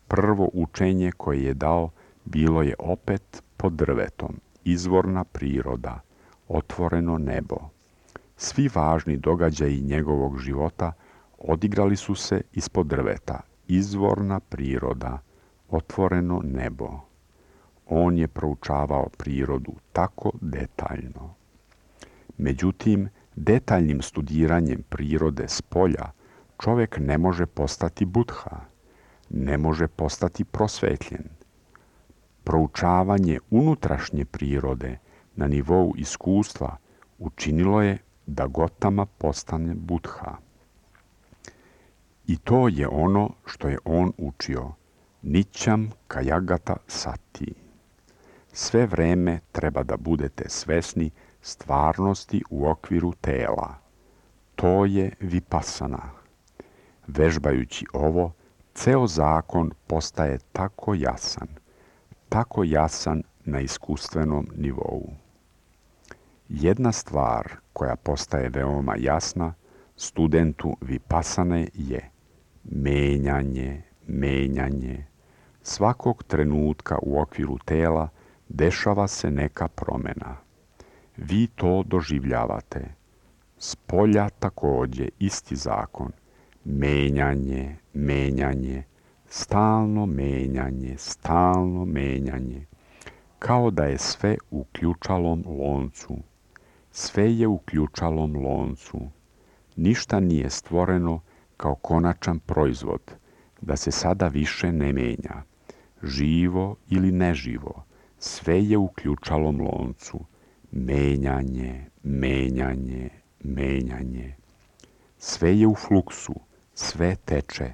Prvo učenje koje je dao bilo je opet pod drvetom, izvorna priroda, otvoreno nebo. Svi važni događaji njegovog života odigrali su se ispod drveta, izvorna priroda, otvoreno nebo. On je proučavao prirodu tako detaljno. Međutim, detaljnim studiranjem prirode spolja čovjek ne može postati Buddha, ne može postati prosvetljen. Proučavanje unutrašnje prirode na nivou iskustva učinilo je da Gotama postane Buddha. I to je ono što je on učio, Nićam Kajagata Sati. Sve vreme treba da budete svesni stvarnosti u okviru tela. To je vipassana. Vežbajući ovo, ceo zakon postaje tako jasan na iskustvenom nivou. Jedna stvar koja postaje veoma jasna studentu vipassane je menjanje. Svakog trenutka u okviru tela dešava se neka promjena. Vi to doživljavate. Spolja također isti zakon. Menjanje, stalno menjanje. Kao da je sve u ključalom loncu. Sve je u ključalom loncu. Ništa nije stvoreno kao konačan proizvod, da se sada više ne menja. Živo ili neživo, sve je u ključalom loncu. Menjanje. Sve je u fluksu, sve teče.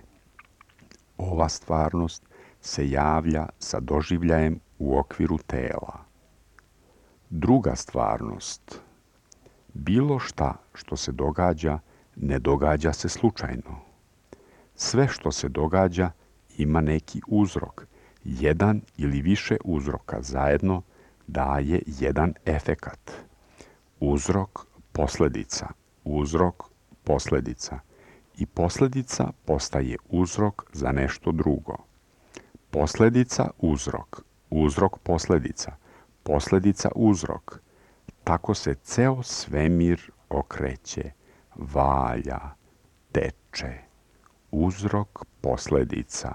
Ova stvarnost se javlja sa doživljajem u okviru tela. Druga stvarnost. Bilo šta što se događa, ne događa se slučajno. Sve što se događa ima neki uzrok. Jedan ili više uzroka zajedno daje jedan efekat. Uzrok, posljedica. I posljedica postaje uzrok za nešto drugo. Posljedica, uzrok, posljedica, uzrok. Tako se ceo svemir okreće, valja, teče. Uzrok, posljedica,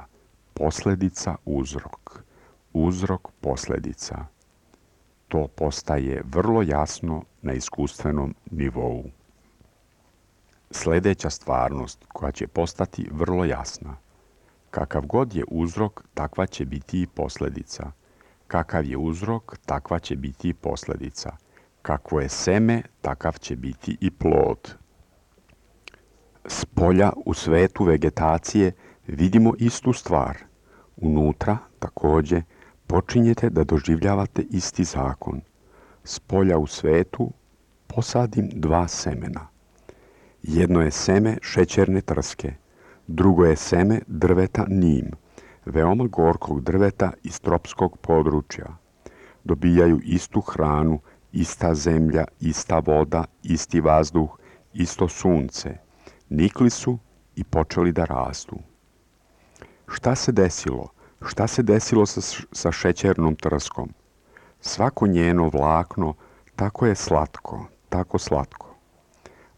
uzrok, posljedica. To postaje vrlo jasno na iskustvenom nivou. Sljedeća stvarnost koja će postati vrlo jasna. Kakav god je uzrok, takva će biti i posljedica. Kakav je uzrok, takva će biti i posljedica. Kakvo je seme, takav će biti i plod. S polja u svetu vegetacije vidimo istu stvar. Unutra, također, počinjete da doživljavate isti zakon. S polja u svetu posadim 2 semena. Jedno je seme šećerne trske, drugo je seme drveta nim, veoma gorkog drveta iz tropskog područja. Dobijaju istu hranu, ista zemlja, ista voda, isti vazduh, isto sunce. Nikli su i počeli da rastu. Šta se desilo? Šta se desilo sa šećernom trskom? Svako njeno vlakno tako je slatko, tako slatko.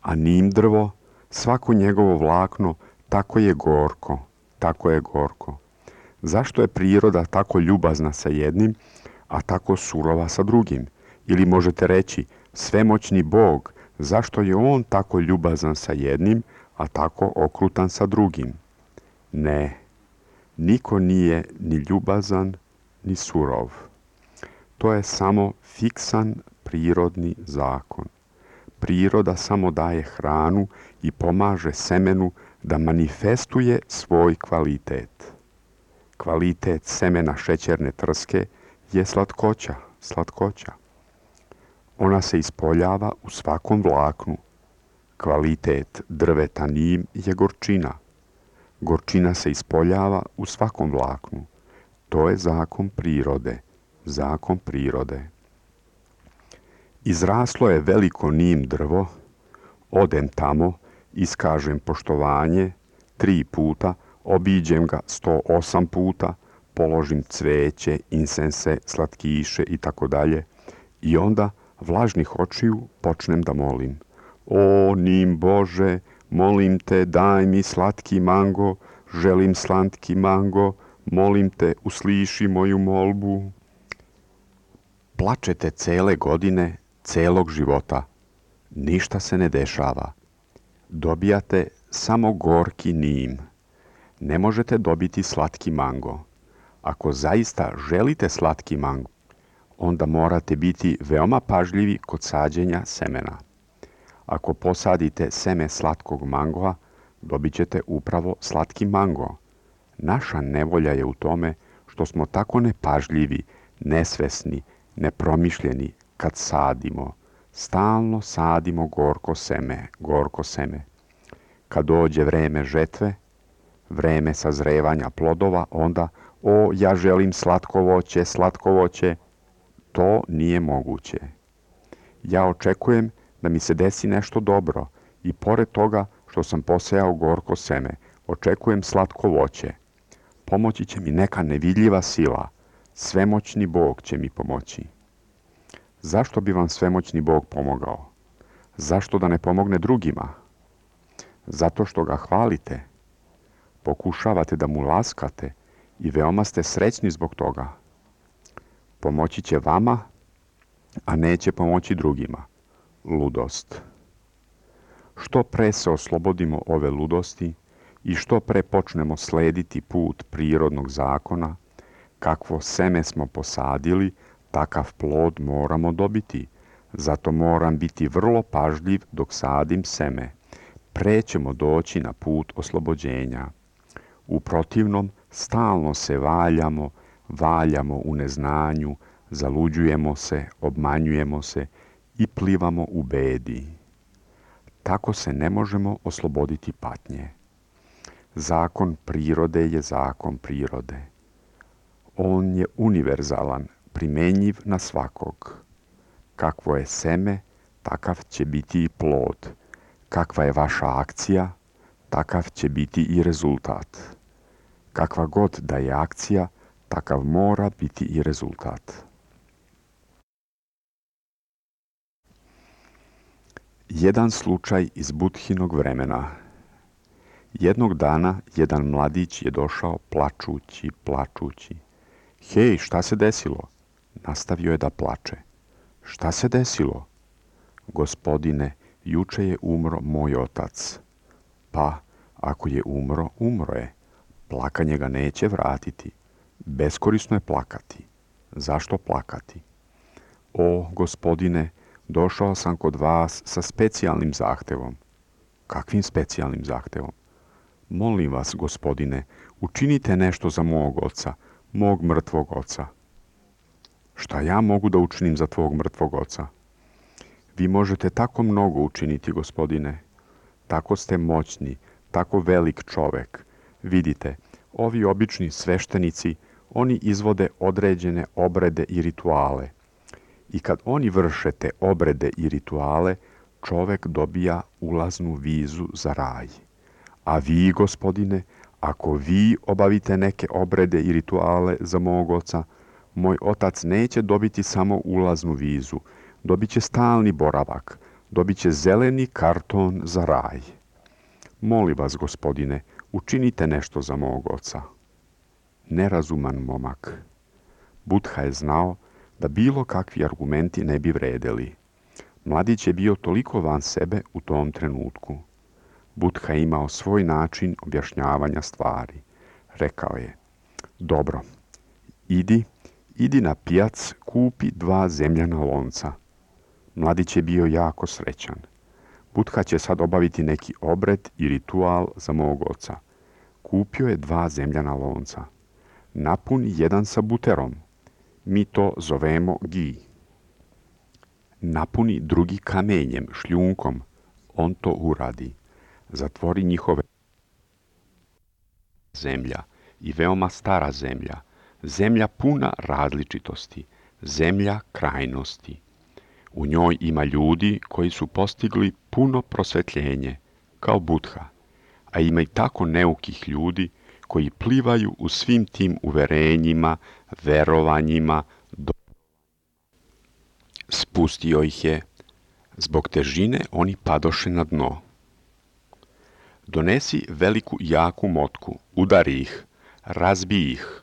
A nim drvo, svako njegovo vlakno tako je gorko, tako je gorko. Zašto je priroda tako ljubazna sa jednim, a tako surova sa drugim? Ili možete reći, svemoćni Bog, zašto je on tako ljubazan sa jednim, a tako okrutan sa drugim? Ne, niko nije ni ljubazan, ni surov. To je samo fiksan prirodni zakon. Priroda samo daje hranu i pomaže semenu da manifestuje svoj kvalitet. Kvalitet semena šećerne trske je slatkoća, slatkoća. Ona se ispoljava u svakom vlaknu. Kvalitet drveta nim je gorčina. Gorčina se ispoljava u svakom vlaknu. To je zakon prirode, zakon prirode. Izraslo je veliko nim drvo, odem tamo, iskažem poštovanje 3 puta, obiđem ga 108 puta, položim cveće, insense, slatkiše i tako dalje i onda vlažnih očiju počnem da molim. O, nim Bože, molim te, daj mi slatki mango, želim slatki mango, molim te, usliši moju molbu. Plačete cele godine, celog života. Ništa se ne dešava. Dobijate samo gorki nim. Ne možete dobiti slatki mango. Ako zaista želite slatki mango, onda morate biti veoma pažljivi kod sađenja semena. Ako posadite seme slatkog mangoa, dobit ćete upravo slatki mango. Naša nevolja je u tome što smo tako nepažljivi, nesvesni, nepromišljeni kad sadimo. Stalno sadimo gorko seme, gorko seme. Kad dođe vreme žetve, vreme sazrevanja plodova, onda, o, ja želim slatko voće, slatko voće. To nije moguće. Ja očekujem da mi se desi nešto dobro i pored toga što sam posejao gorko seme, očekujem slatko voće. Pomoći će mi neka nevidljiva sila. Svemoćni Bog će mi pomoći. Zašto bi vam svemoćni Bog pomogao? Zašto da ne pomogne drugima? Zato što ga hvalite. Pokušavate da mu laskate i veoma ste srećni zbog toga. Pomoći će vama, a neće pomoći drugima. Ludost. Što pre se oslobodimo ove ludosti i što pre počnemo slediti put prirodnog zakona, kakvo seme smo posadili, takav plod moramo dobiti. Zato moram biti vrlo pažljiv dok sadim seme. Pre ćemo doći na put oslobođenja. U protivnom, stalno se valjamo u neznanju, zaluđujemo se, obmanjujemo se i plivamo u bedi. Tako se ne možemo osloboditi patnje. Zakon prirode je zakon prirode. On je univerzalan, primenjiv na svakog. Kakvo je seme, takav će biti i plod. Kakva je vaša akcija, takav će biti i rezultat. Kakva god da je akcija, takav mora biti i rezultat. Jedan slučaj iz Budhinog vremena. Jednog dana jedan mladić je došao plačući. Hej, šta se desilo? Nastavio je da plače. Šta se desilo? Gospodine, juče je umro moj otac. Pa, ako je umro, umro je. Plakanje ga neće vratiti. Beskorisno je plakati. Zašto plakati? O, gospodine, došao sam kod vas sa specijalnim zahtevom. Kakvim specijalnim zahtevom? Molim vas, gospodine, učinite nešto za mog oca, mog mrtvog oca. Šta ja mogu da učinim za tvog mrtvog oca? Vi možete tako mnogo učiniti, gospodine. Tako ste moćni, tako velik čovek. Vidite, ovi obični sveštenici, oni izvode određene obrede i rituale. I kad oni vrše te obrede i rituale, čovek dobija ulaznu vizu za raj. A vi, gospodine, ako vi obavite neke obrede i rituale za mog oca, moj otac neće dobiti samo ulaznu vizu, dobit će stalni boravak, dobit će zeleni karton za raj. Molim vas, gospodine, učinite nešto za mog oca. Nerazuman momak. Buddha je znao da bilo kakvi argumenti ne bi vredeli. Mladić je bio toliko van sebe u tom trenutku. Buddha je imao svoj način objašnjavanja stvari. Rekao je, dobro, idi na pijac, kupi 2 zemljana lonca. Mladić je bio jako srećan. Buddha će sad obaviti neki obred i ritual za mog oca. Kupio je 2 zemljana lonca. Napuni jedan sa buterom. Mi to zovemo gi. Napuni drugi kamenjem, šljunkom. On to uradi. Zatvori njihove zemlja i veoma stara zemlja. Zemlja puna različitosti. Zemlja krajnosti. U njoj ima ljudi koji su postigli puno prosvetljenje, kao Buddha, a ima i tako neukih ljudi koji plivaju u svim tim uverenjima, verovanjima. Spustio ih je. Zbog težine oni padoše na dno. Donesi veliku jaku motku, udari ih, razbi ih.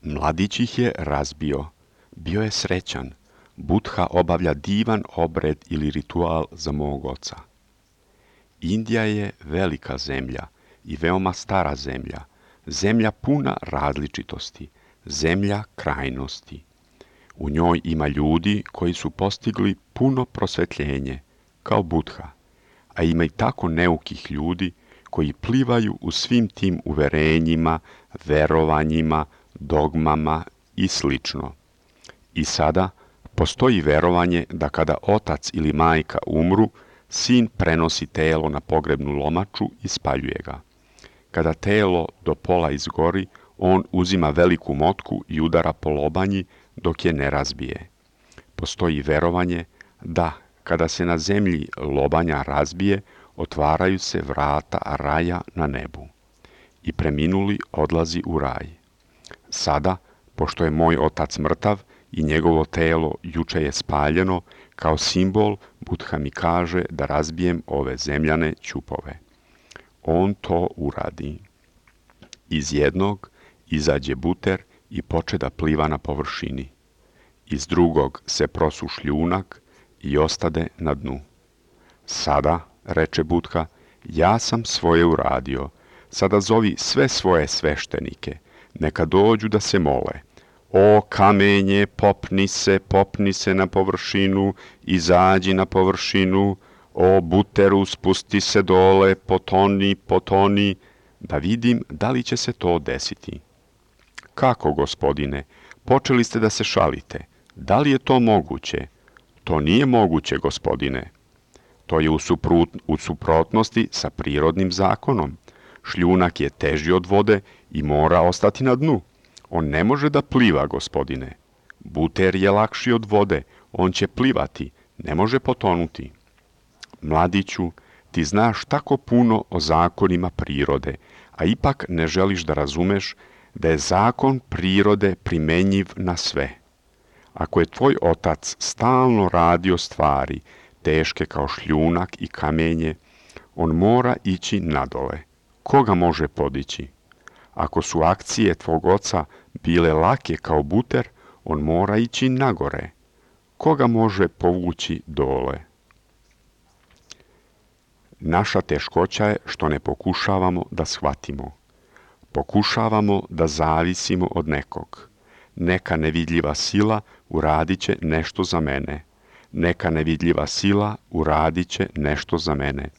Mladić ih je razbio. Bio je srećan. Buddha obavlja divan obred ili ritual za mog oca. Indija je velika zemlja i veoma stara zemlja, zemlja puna različitosti, zemlja krajnosti. U njoj ima ljudi koji su postigli puno prosvetljenje, kao Buddha, a ima i tako neukih ljudi koji plivaju u svim tim uverenjima, verovanjima, dogmama i slično. I sada postoji verovanje da kada otac ili majka umru, sin prenosi telo na pogrebnu lomaču i spaljuje ga. Kada telo do pola izgori, on uzima veliku motku i udara po lobanji dok je ne razbije. Postoji verovanje da kada se na zemlji lobanja razbije, otvaraju se vrata raja na nebu. I preminuli odlazi u raj. Sada, pošto je moj otac mrtav i njegovo telo juče je spaljeno, kao simbol Buddha mi kaže da razbijem ove zemljane ćupove. On to uradi. Iz jednog izađe buter i poče da pliva na površini. Iz drugog se prosu šljunak i ostade na dnu. Sada, reče Buddha, ja sam svoje uradio. Sada zovi sve svoje sveštenike. Neka dođu da se mole. O kamenje, popni se na površinu, izađi na površinu. O buteru, spusti se dole, potoni, da vidim da li će se to desiti. Kako, gospodine? Počeli ste da se šalite. Da li je to moguće? To nije moguće, gospodine. To je u suprotnosti sa prirodnim zakonom. Šljunak je teži od vode i mora ostati na dnu. On ne može da pliva, gospodine. Buter je lakši od vode, on će plivati, ne može potonuti. Mladiću, ti znaš tako puno o zakonima prirode, a ipak ne želiš da razumeš da je zakon prirode primenjiv na sve. Ako je tvoj otac stalno radio stvari, teške kao šljunak i kamenje, on mora ići nadole. Koga može podići? Ako su akcije tvog oca bile lake kao buter, on mora ići nagore. Koga može povući dole? Naša teškoća je što ne pokušavamo da shvatimo. Pokušavamo da zavisimo od nekog. Neka nevidljiva sila uradit će nešto za mene. Neka nevidljiva sila uradit će nešto za mene.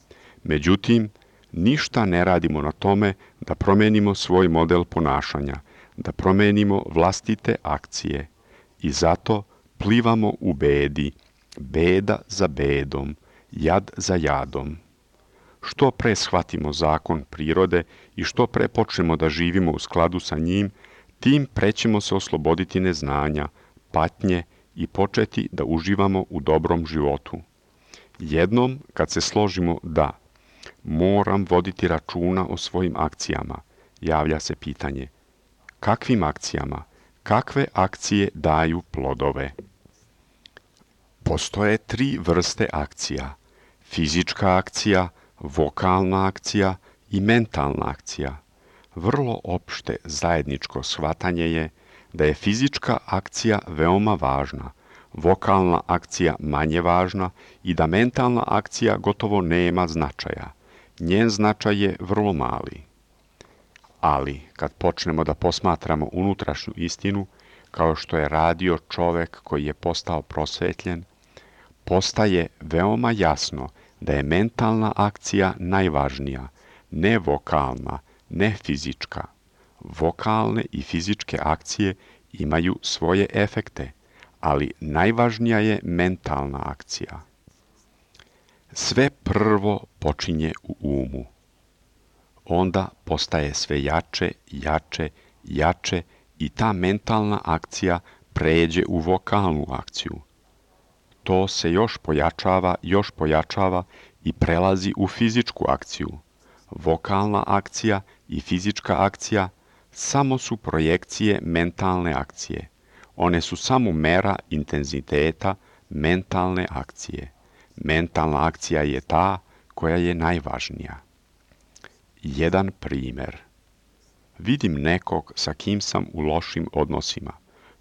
Međutim, ništa ne radimo na tome da promenimo svoj model ponašanja, da promenimo vlastite akcije. I zato plivamo u bedi, beda za bedom, jad za jadom. Što pre shvatimo zakon prirode i što pre počnemo da živimo u skladu sa njim, tim pre ćemo se osloboditi neznanja, patnje i početi da uživamo u dobrom životu. Jednom, kad se složimo da moram voditi računa o svojim akcijama, javlja se pitanje: kakvim akcijama? Kakve akcije daju plodove? Postoje 3 vrste akcija: fizička akcija, vokalna akcija i mentalna akcija. Vrlo opšte zajedničko shvatanje je da je fizička akcija veoma važna, vokalna akcija manje važna i da mentalna akcija gotovo nema značaja. Njen značaj je vrlo mali. Ali, kad počnemo da posmatramo unutrašnju istinu, kao što je radio čovek koji je postao prosvetljen, postaje veoma jasno da je mentalna akcija najvažnija, ne vokalna, ne fizička. Vokalne i fizičke akcije imaju svoje efekte, ali najvažnija je mentalna akcija. Sve prvo počinje u umu. Onda postaje sve jače, jače, jače i ta mentalna akcija pređe u vokalnu akciju. To se još pojačava i prelazi u fizičku akciju. Vokalna akcija i fizička akcija samo su projekcije mentalne akcije. One su samo mera intenziteta mentalne akcije. Mentalna akcija je ta koja je najvažnija. Jedan primer. Vidim nekog sa kim sam u lošim odnosima.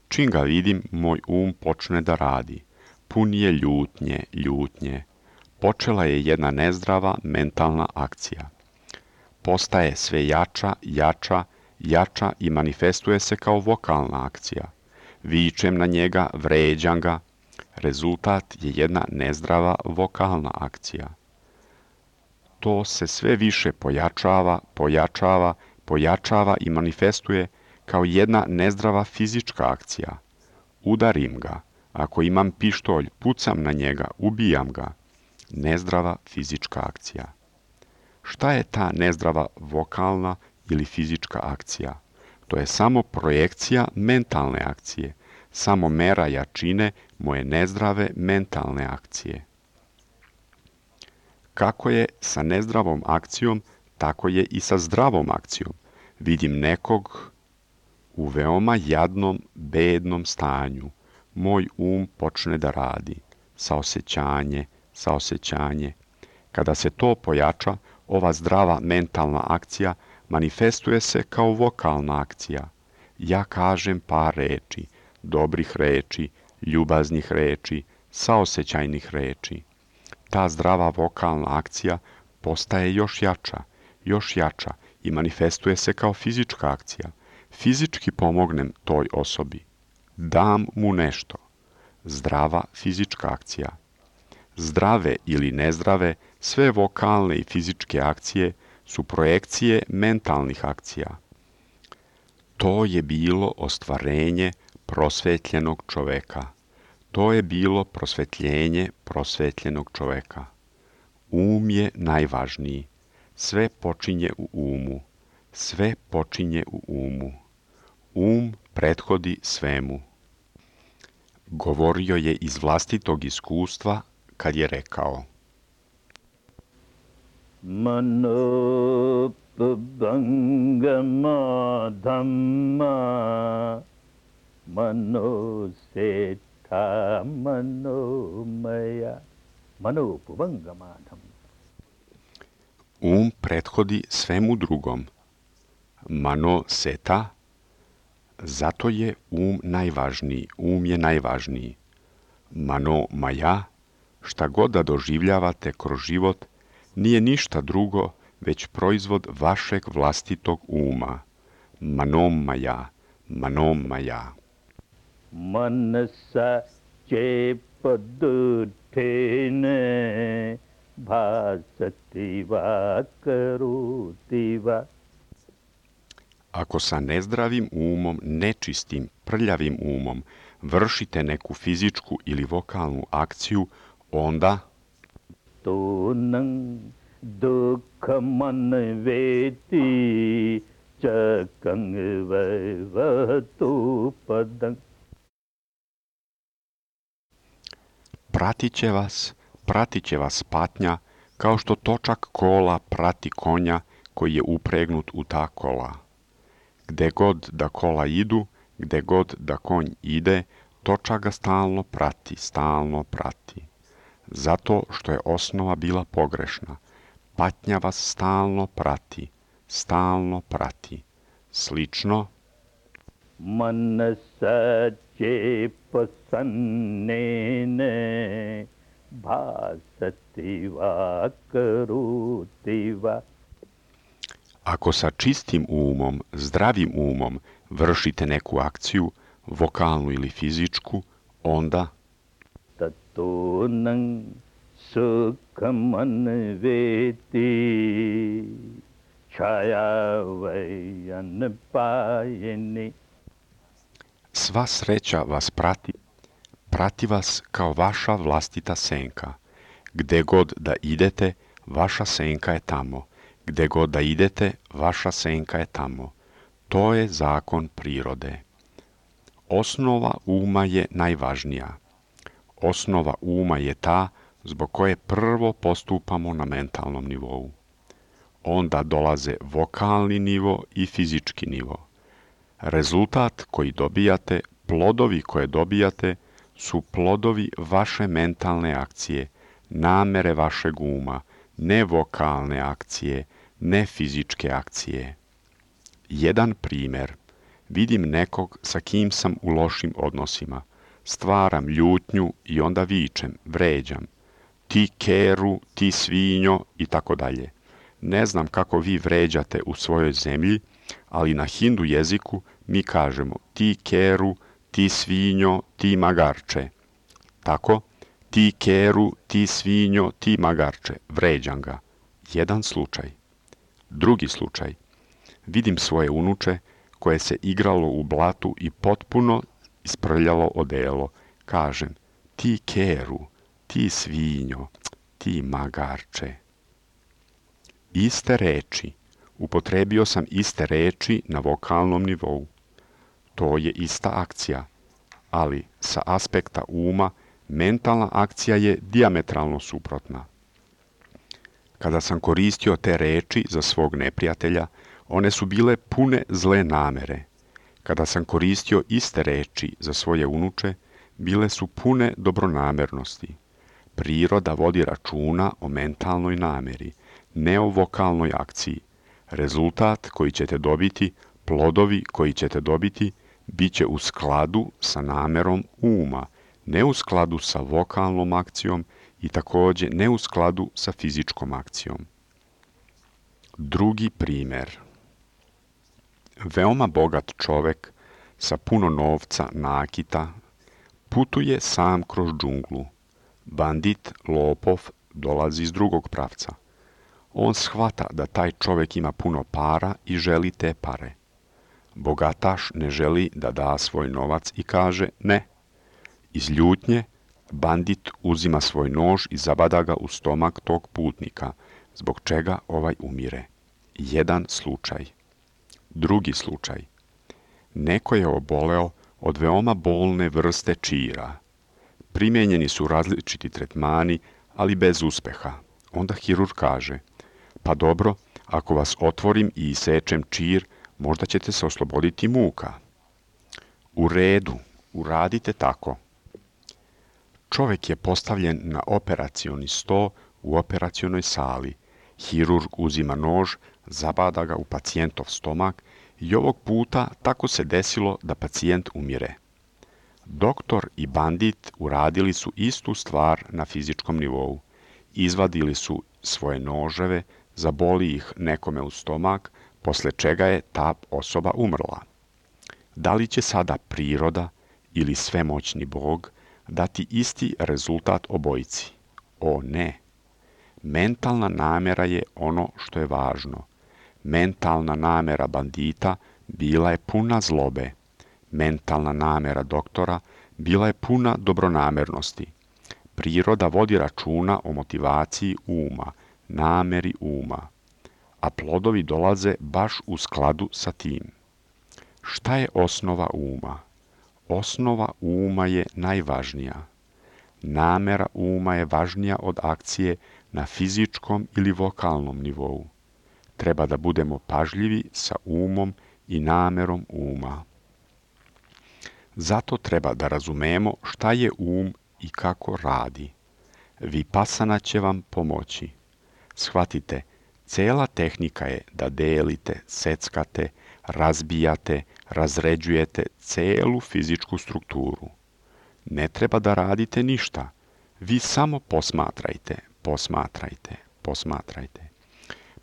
Čim ga vidim, moj počne da radi. Pun je ljutnje. Počela je jedna nezdrava mentalna akcija. Postaje sve jača i manifestuje se kao vokalna akcija. Vičem na njega, vređam ga. Rezultat je jedna nezdrava vokalna akcija. To se sve više pojačava i manifestuje kao jedna nezdrava fizička akcija. Udarim ga. Ako imam pištolj, pucam na njega, ubijam ga. Nezdrava fizička akcija. Šta je ta nezdrava vokalna ili fizička akcija? To je samo projekcija mentalne akcije, samo mera jačine moje nezdrave mentalne akcije. Kako je sa nezdravom akcijom, tako je i sa zdravom akcijom. Vidim nekog u veoma jadnom, bednom stanju. Moj počne da radi. Saosećanje. Kada se to pojača, ova zdrava mentalna akcija manifestuje se kao vokalna akcija. Ja kažem par reči, dobrih reči, ljubaznih reči, saosećajnih reči. Ta zdrava vokalna akcija postaje još jača i manifestuje se kao fizička akcija. Fizički pomognem toj osobi. Dam mu nešto. Zdrava fizička akcija. Zdrave ili nezdrave, sve vokalne i fizičke akcije su projekcije mentalnih akcija. To je bilo ostvarenje prosvetljenog čoveka. To je bilo prosvetljenje prosvetljenog čoveka. Je najvažniji. Sve počinje u umu. Prethodi svemu. Govorio je iz vlastitog iskustva kad je rekao: Manopabangama dhamma manoseta manomaya. Manopabangama dhamma. Prethodi svemu drugom. Manoseta, zato je najvažniji. Je najvažniji. Manomaya, šta god da doživljavate kroz život, nije ništa drugo, već proizvod vašeg vlastitog uma. Manomaya. मनसा चेपदुठेन भासति va karoti va. Ako sa nezdravim umom, nečistim, prljavim umom vršite neku fizičku ili vokalnu akciju, onda Tonang dukhaman veti chakang vaivatu padang. pratit će vas patnja, kao što točak kola prati konja koji je upregnut u ta kola. Gde god da kola idu, gde god da konj ide, točak ga stalno prati. Zato što je osnova bila pogrešna. Patnja vas stalno prati. Slično, Manasa chepasannene bhasati va karoti va. ako sa čistim umom, zdravim umom vršite neku akciju, vokalnu ili fizičku, onda Tatonang sukhaman veti chaya vayan payeni. sva sreća vas prati vas kao vaša vlastita senka. Gde god da idete, vaša senka je tamo. Gde god da idete, vaša senka je tamo. To je zakon prirode. Osnova uma je najvažnija. Osnova uma je ta zbog koje prvo postupamo na mentalnom nivou. Onda dolaze vokalni nivo i fizički nivo. Rezultat koji dobijate, plodovi koje dobijate, su plodovi vaše mentalne akcije, namere vašeg uma, ne vokalne akcije, ne fizičke akcije. Jedan primjer. Vidim nekog sa kim sam u lošim odnosima. Stvaram ljutnju i onda vičem, vređam. Ti keru, ti svinjo i tako dalje. Ne znam kako vi vređate u svojoj zemlji, ali na hindu jeziku mi kažemo ti keru, ti svinjo, ti magarče. Tako, ti keru, ti svinjo, ti magarče, vređam ga. Jedan slučaj. Drugi slučaj. Vidim svoje unuče koje se igralo u blatu i potpuno isprljalo odelo. Kažem, ti keru, ti svinjo, ti magarče. Iste reči. Upotrebio sam iste reči na vokalnom nivou. To je ista akcija, ali sa aspekta uma mentalna akcija je dijametralno suprotna. Kada sam koristio te reči za svog neprijatelja, one su bile pune zle namere. Kada sam koristio iste reči za svoje unuče, bile su pune dobronamernosti. Priroda vodi računa o mentalnoj nameri, ne o vokalnoj akciji. Rezultat koji ćete dobiti, plodovi koji ćete dobiti, bit će u skladu sa namerom uma, ne u skladu sa vokalnom akcijom i također ne u skladu sa fizičkom akcijom. Drugi primjer. Veoma bogat čovek sa puno novca, nakita, putuje sam kroz džunglu. Bandit, lopov, dolazi iz drugog pravca. On shvata da taj čovek ima puno para i želi te pare. Bogataš ne želi da da svoj novac i kaže ne. Iz ljutnje, bandit uzima svoj nož i zabada ga u stomak tog putnika, zbog čega ovaj umire. Jedan slučaj. Drugi slučaj. Neko je oboleo od veoma bolne vrste čira. Primijenjeni su različiti tretmani, ali bez uspeha. Onda hirurg kaže, pa dobro, ako vas otvorim i isečem čir, možda ćete se osloboditi muka. U redu, uradite tako. Čovek je postavljen na operacioni sto u operacionoj sali. Hirurg uzima nož, zabada ga u pacijentov stomak i ovog puta tako se desilo da pacijent umire. Doktor i bandit uradili su istu stvar na fizičkom nivou. Izvadili su svoje noževe, zaboli ih nekome u stomak, posle čega je ta osoba umrla. Da li će sada priroda ili svemoćni Bog dati isti rezultat obojici? O ne! Mentalna namera je ono što je važno. Mentalna namera bandita bila je puna zlobe. Mentalna namera doktora bila je puna dobronamernosti. Priroda vodi računa o motivaciji uma, nameri uma, a plodovi dolaze baš u skladu sa tim. Šta je osnova uma? Osnova uma je najvažnija. Namera uma je važnija od akcije na fizičkom ili vokalnom nivou. Treba da budemo pažljivi sa umom i namerom uma. Zato treba da razumemo šta je um i kako radi. Vipassana će vam pomoći. Shvatite, cela tehnika je da delite, seckate, razbijate, razređujete celu fizičku strukturu. Ne treba da radite ništa. Vi samo posmatrajte, posmatrajte, posmatrajte.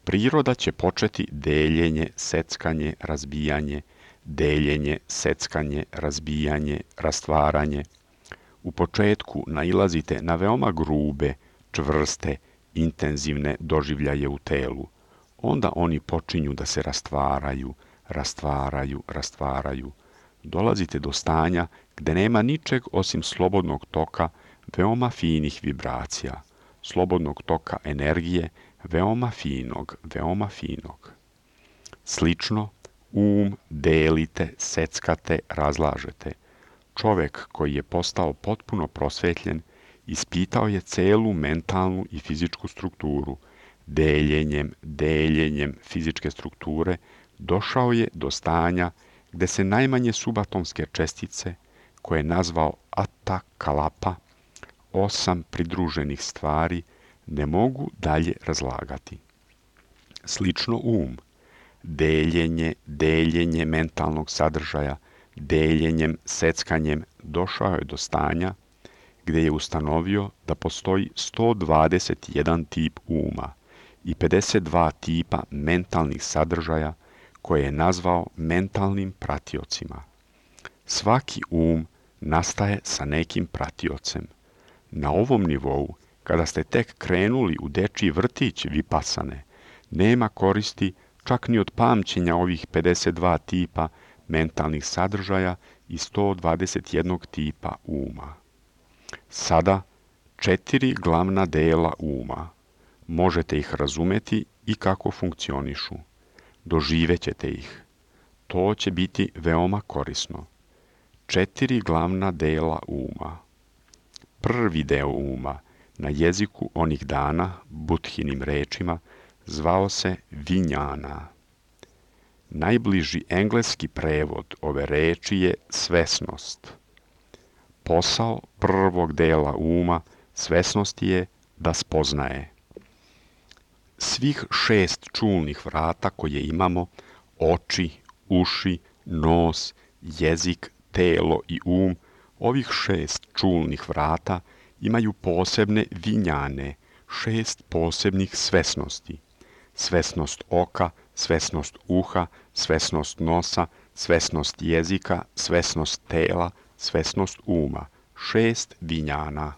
Priroda će početi deljenje, seckanje, razbijanje, deljenje, seckanje, razbijanje, rastvaranje. U početku nailazite na veoma grube, čvrste, intenzivne doživljaje u telu. Onda oni počinju da se rastvaraju, rastvaraju, rastvaraju. Dolazite do stanja gde nema ničeg osim slobodnog toka veoma finih vibracija, slobodnog toka energije, veoma finog, veoma finog. Slično, delite, seckate, razlažete. Čovek koji je postao potpuno prosvetljen, ispitao je celu mentalnu i fizičku strukturu. Deljenjem fizičke strukture došao je do stanja gde se najmanje subatomske čestice, koje je nazvao Atta Kalapa, 8 pridruženih stvari, ne mogu dalje razlagati. Slično deljenje mentalnog sadržaja, deljenjem, seckanjem došao je do stanja gde je ustanovio da postoji 121 tip uma i 52 tipa mentalnih sadržaja koje je nazvao mentalnim pratiocima. Svaki nastaje sa nekim pratiocem. Na ovom nivou, kada ste tek krenuli u dečiji vrtić vipassane, nema koristi čak ni od pamćenja ovih 52 tipa mentalnih sadržaja i 121 tipa uma. Sada 4 glavna dela uma. Možete ih razumeti i kako funkcionišu. Doživećete ih. To će biti veoma korisno. 4 glavna dela uma. Prvi deo uma, na jeziku onih dana, Budhinim rečima, zvao se vinjana. Najbliži engleski prevod ove reči je svesnost. Posao prvog dela uma svesnosti je da spoznaje. Svih 6 čulnih vrata koje imamo, oči, uši, nos, jezik, telo i ovih 6 čulnih vrata imaju posebne vinjane, 6 posebnih svesnosti. Svesnost oka, svesnost uha, svesnost nosa, svesnost jezika, svesnost tela, svesnost uma. 6 vinjana.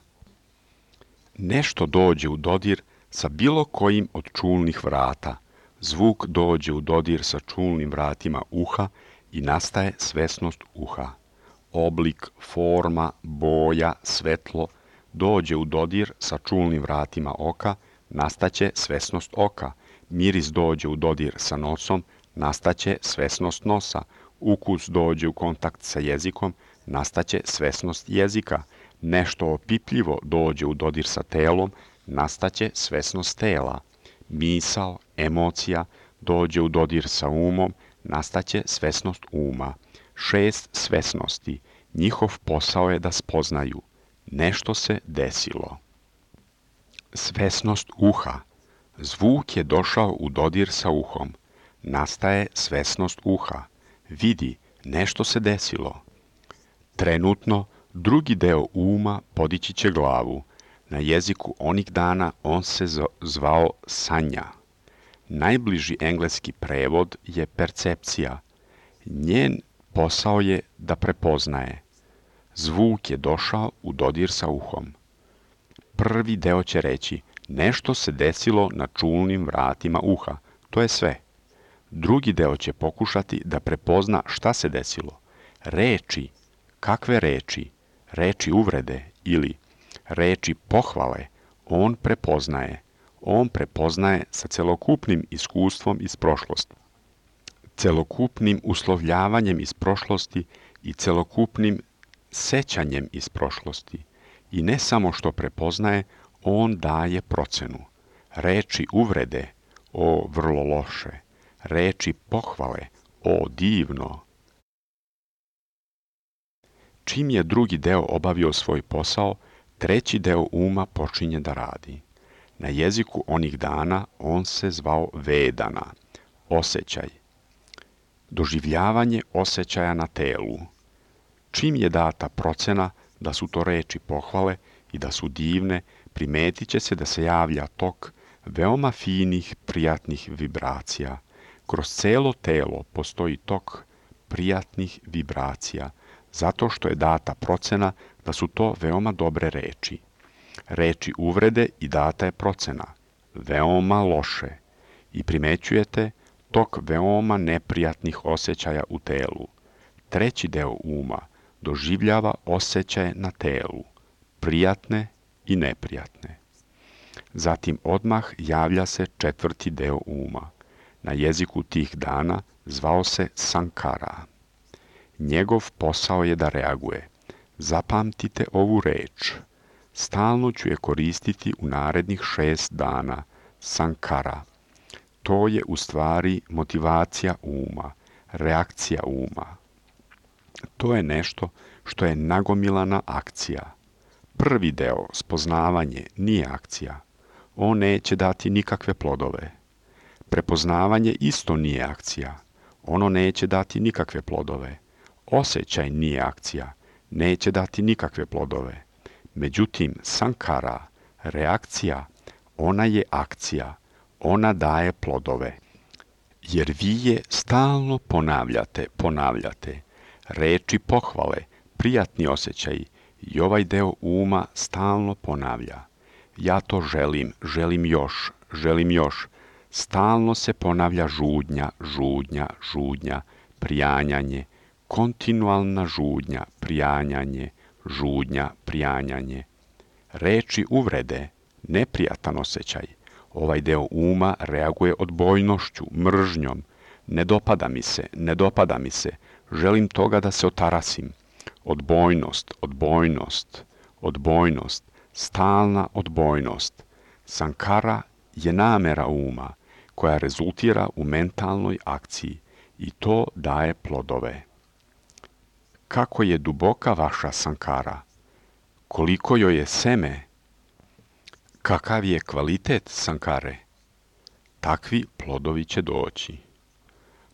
Nešto dođe u dodir sa bilo kojim od čulnih vrata. Zvuk dođe u dodir sa čulnim vratima uha i nastaje svesnost uha. Oblik, forma, boja, svetlo dođe u dodir sa čulnim vratima oka, nastaće svesnost oka. Miris dođe u dodir sa nosom, nastaće svesnost nosa. Ukus dođe u kontakt sa jezikom, nastaće svesnost jezika. Nešto opipljivo dođe u dodir sa telom, nastaće svesnost tela. Misao, emocija dođe u dodir sa umom, nastaće svesnost uma. 6 svesnosti. Njihov posao je da spoznaju. Nešto se desilo. Svesnost uha. Zvuk je došao u dodir sa uhom. Nastaje svesnost uha. Vidi, nešto se desilo. Trenutno, drugi deo uma podići će glavu. Na jeziku onih dana on se zvao sanja. Najbliži engleski prevod je percepcija. Njen posao je da prepoznaje. Zvuk je došao u dodir sa uhom. Prvi deo će reći, nešto se desilo na čulnim vratima uha, to je sve. Drugi deo će pokušati da prepozna šta se desilo. Reči, kakve reči? Reči uvrede ili reči pohvale, on prepoznaje. On prepoznaje sa celokupnim iskustvom iz prošlosti, celokupnim uslovljavanjem iz prošlosti i celokupnim sećanjem iz prošlosti. I ne samo što prepoznaje, on daje procenu. Reči uvrede, o vrlo loše. Reči pohvale, o divno. Čim je drugi deo obavio svoj posao, treći deo uma počinje da radi. Na jeziku onih dana on se zvao vedana, osjećaj. Doživljavanje osjećaja na telu. Čim je data procena da su to reči pohvale i da su divne, primetit će se da se javlja tok veoma finih, prijatnih vibracija. Kroz celo telo postoji tok prijatnih vibracija, zato što je data procena da su to veoma dobre reči. Reči uvrede i data je procena, veoma loše, i primećujete tok veoma neprijatnih osjećaja u telu. Treći deo uma doživljava osjećaje na telu, prijatne i neprijatne. Zatim odmah javlja se četvrti deo uma. Na jeziku tih dana zvao se sankara. Njegov posao je da reaguje. Zapamtite ovu reč. Stalno ću je koristiti u narednih 6 dana. Sankara. To je u stvari motivacija uma, reakcija uma. To je nešto što je nagomilana akcija. Prvi deo, spoznavanje, nije akcija. On neće dati nikakve plodove. Prepoznavanje isto nije akcija. Ono neće dati nikakve plodove. Osjećaj nije akcija. Neće dati nikakve plodove. Međutim, sankara, reakcija, ona je akcija. Ona daje plodove. Jer vi je stalno ponavljate. Reči pohvale, prijatni osjećaji i ovaj deo uma stalno ponavlja. Ja to želim još. Stalno se ponavlja žudnja, prijanjanje, kontinualna žudnja, prijanjanje. Reči uvrede, neprijatan osjećaj. Ovaj deo uma reaguje odbojnošću, mržnjom. Ne dopada mi se, želim toga da se otarasim. Odbojnost, stalna odbojnost. Sankara je namera uma koja rezultira u mentalnoj akciji i to daje plodove. Kako je duboka vaša sankara? Koliko joj je seme? Kakav je kvalitet sankare? Takvi plodovi će doći.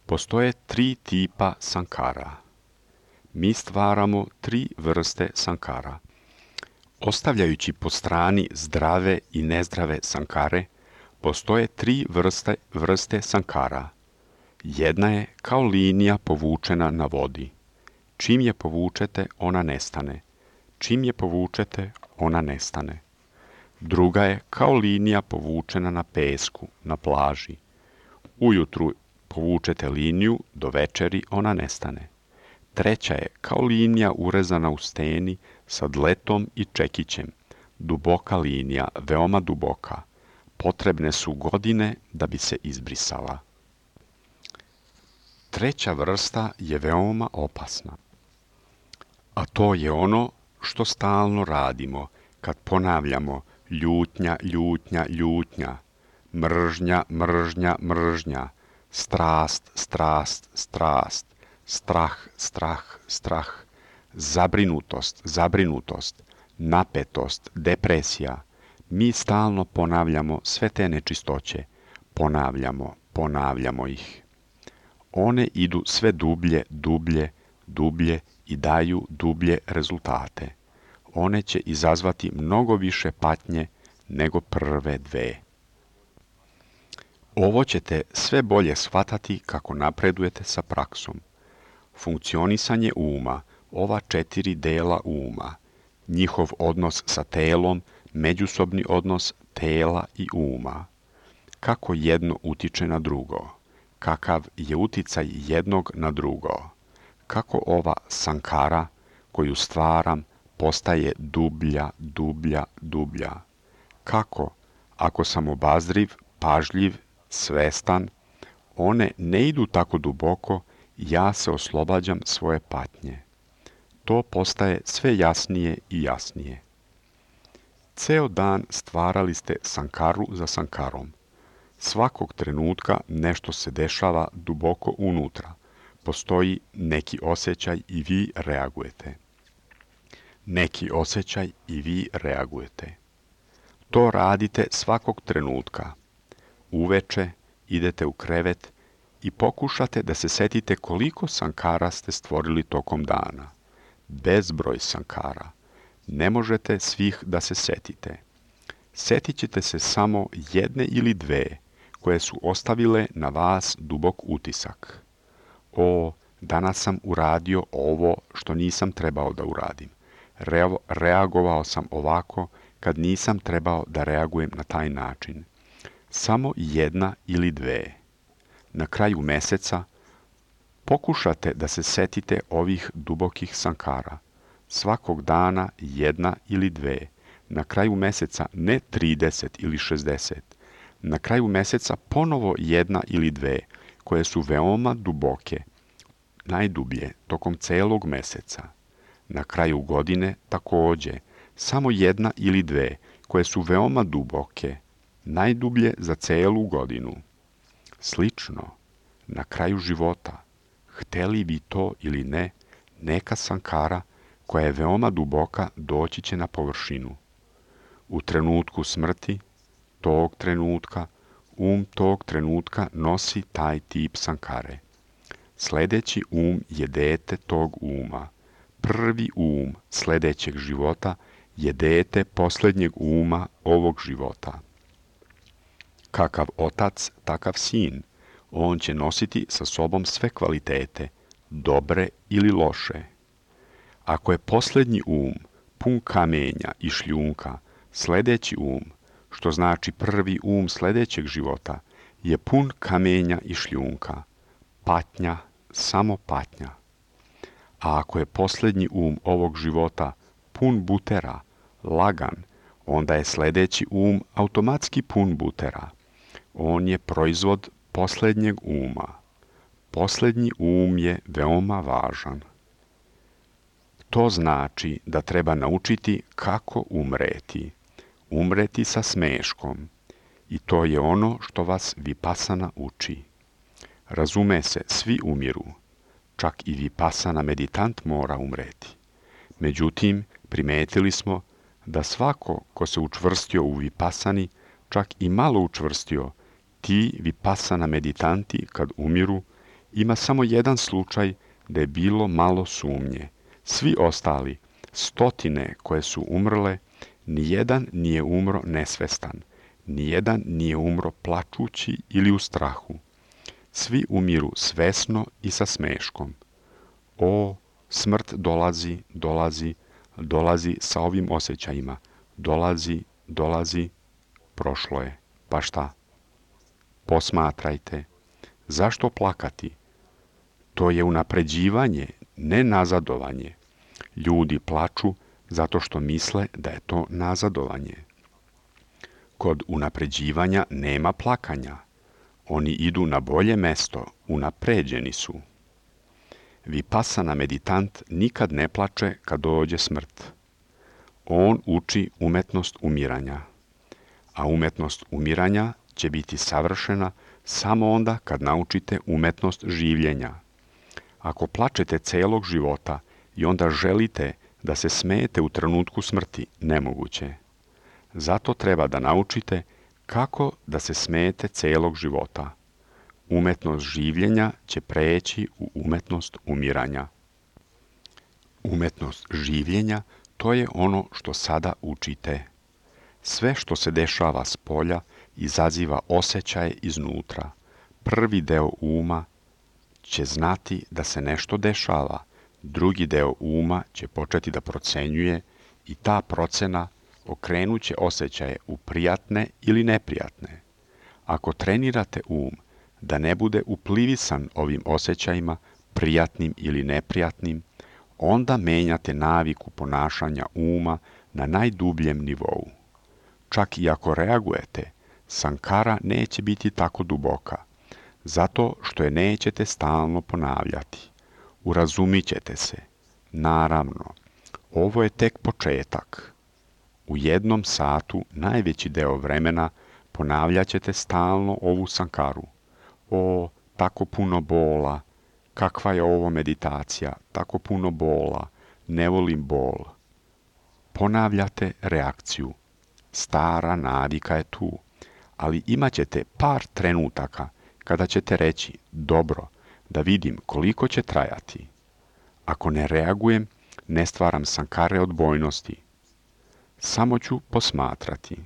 Postoje 3 tipa sankara. Mi stvaramo 3 vrste sankara. Ostavljajući po strani zdrave i nezdrave sankare, postoje 3 vrste sankara. Jedna je kao linija povučena na vodi. Čim je povučete, ona nestane. Druga je kao linija povučena na pesku, na plaži. Ujutru povučete liniju, do večeri ona nestane. Treća je kao linija urezana u steni sa dletom i čekićem. Duboka linija, veoma duboka. Potrebne su godine da bi se izbrisala. Treća vrsta je veoma opasna. A to je ono što stalno radimo kad ponavljamo ljutnja, mržnja, strast, strah, zabrinutost, napetost, depresija. Mi stalno ponavljamo sve te nečistoće. Ponavljamo ih. One idu sve dublje i daju dublje rezultate. One će izazvati mnogo više patnje nego prve 2. Ovo ćete sve bolje shvatati kako napredujete sa praksom. Funkcionisanje uma ova 4 dela uma, njihov odnos sa telom, međusobni odnos tela i uma, kako jedno utiče na drugo, kakav je uticaj jednog na drugo, kako ova sankara koju stvaram postaje dublja, dublja, dublja, kako, ako sam obazriv, pažljiv, svestan, one ne idu tako duboko, ja se oslobađam svoje patnje. To postaje sve jasnije i jasnije. Ceo dan stvarali ste sankaru za sankarom. Svakog trenutka nešto se dešava duboko unutra. Postoji neki osjećaj i vi reagujete. Neki osjećaj i vi reagujete. To radite svakog trenutka. Uveče idete u krevet i pokušate da se setite koliko sankara ste stvorili tokom dana. Bezbroj sankara. Ne možete svih da se setite. Setit ćete se samo jedne ili dve koje su ostavile na vas dubok utisak. O, danas sam uradio ovo što nisam trebao da uradim. Reagovao sam ovako kad nisam trebao da reagujem na taj način. Samo jedna ili dve. Na kraju meseca pokušate da se setite ovih dubokih sankara. Svakog dana jedna ili dve. Na kraju meseca ne 30 ili 60. Na kraju meseca ponovo jedna ili dve, koje su veoma duboke, najdublje tokom celog meseca. Na kraju godine takođe, samo jedna ili dve, koje su veoma duboke, najdublje za celu godinu. Slično, na kraju života, hteli vi to ili ne, neka sankara koja je veoma duboka doći će na površinu. U trenutku smrti, tog trenutka nosi taj tip sankare. Sledeći je dete tog uma. Prvi sledećeg života je dete posljednjeg ovog života. Kakav otac, takav sin. On će nositi sa sobom sve kvalitete, dobre ili loše. Ako je posljednji pun kamenja i šljunka, sledeći što znači prvi sledećeg života, je pun kamenja i šljunka. Patnja, samo patnja. A ako je posljednji ovog života pun butera, lagan, onda je sledeći automatski pun butera. On je proizvod posljednjeg Posljednji je veoma važan. To znači da treba naučiti kako umreti. Umreti sa smeškom. I to je ono što vas Vipassana uči. Razume se, svi umiru. Čak i Vipassana meditant mora umreti. Međutim, primetili smo da svako ko se učvrstio u Vipassani, čak i malo učvrstio, ti Vipassana meditanti kad umiru, ima samo jedan slučaj da je bilo malo sumnje. Svi ostali, stotine koje su umrle, nijedan nije umro nesvestan, nijedan nije umro plačući ili u strahu. Svi umiru svesno i sa smeškom. O, smrt dolazi sa ovim osjećajima. Dolazi, prošlo je. Pa šta? Posmatrajte. Zašto plakati? To je unapređivanje, ne nazadovanje. Ljudi plaču zato što misle da je to nazadovanje. Kod unapređivanja nema plakanja. Oni idu na bolje mesto, unapređeni su. Vipassana meditant nikad ne plače kad dođe smrt. On uči umetnost umiranja. A umetnost umiranja će biti savršena samo onda kad naučite umetnost življenja. Ako plačete celog života i onda želite da se smejete u trenutku smrti, nemoguće. Zato treba da naučite kako da se smejete celog života. Umetnost življenja će preći u umetnost umiranja. Umetnost življenja, to je ono što sada učite. Sve što se dešava s polja izaziva osjećaje iznutra. Prvi deo uma će znati da se nešto dešava, Drugi deo uma će početi da procenjuje i ta procena okrenuće osjećaje u prijatne ili neprijatne. Ako trenirate da ne bude uplivisan ovim osjećajima, prijatnim ili neprijatnim, onda menjate naviku ponašanja uma na najdubljem nivou. Čak i ako reagujete, sankara neće biti tako duboka, zato što je nećete stalno ponavljati. Urazumit ćete se. Naravno, ovo je tek početak. U 1 satu najveći deo vremena ponavljat ćete stalno ovu sankaru. O, tako puno bola, kakva je ovo meditacija, tako puno bola, ne volim bol. Ponavljate reakciju. Stara navika je tu, ali imat ćete par trenutaka kada ćete reći, dobro, da vidim koliko će trajati. Ako ne reagujem, ne stvaram sankare odbojnosti. Samo ću posmatrati.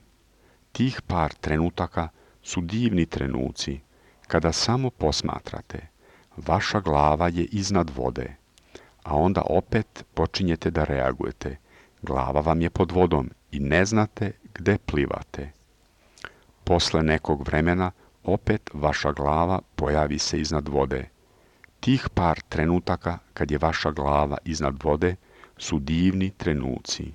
Tih par trenutaka su divni trenuci, kada samo posmatrate. Vaša glava je iznad vode, a onda opet počinjete da reagujete. Glava vam je pod vodom i ne znate gde plivate. Posle nekog vremena opet vaša glava pojavi se iznad vode. Tih par trenutaka kad je vaša glava iznad vode su divni trenuci.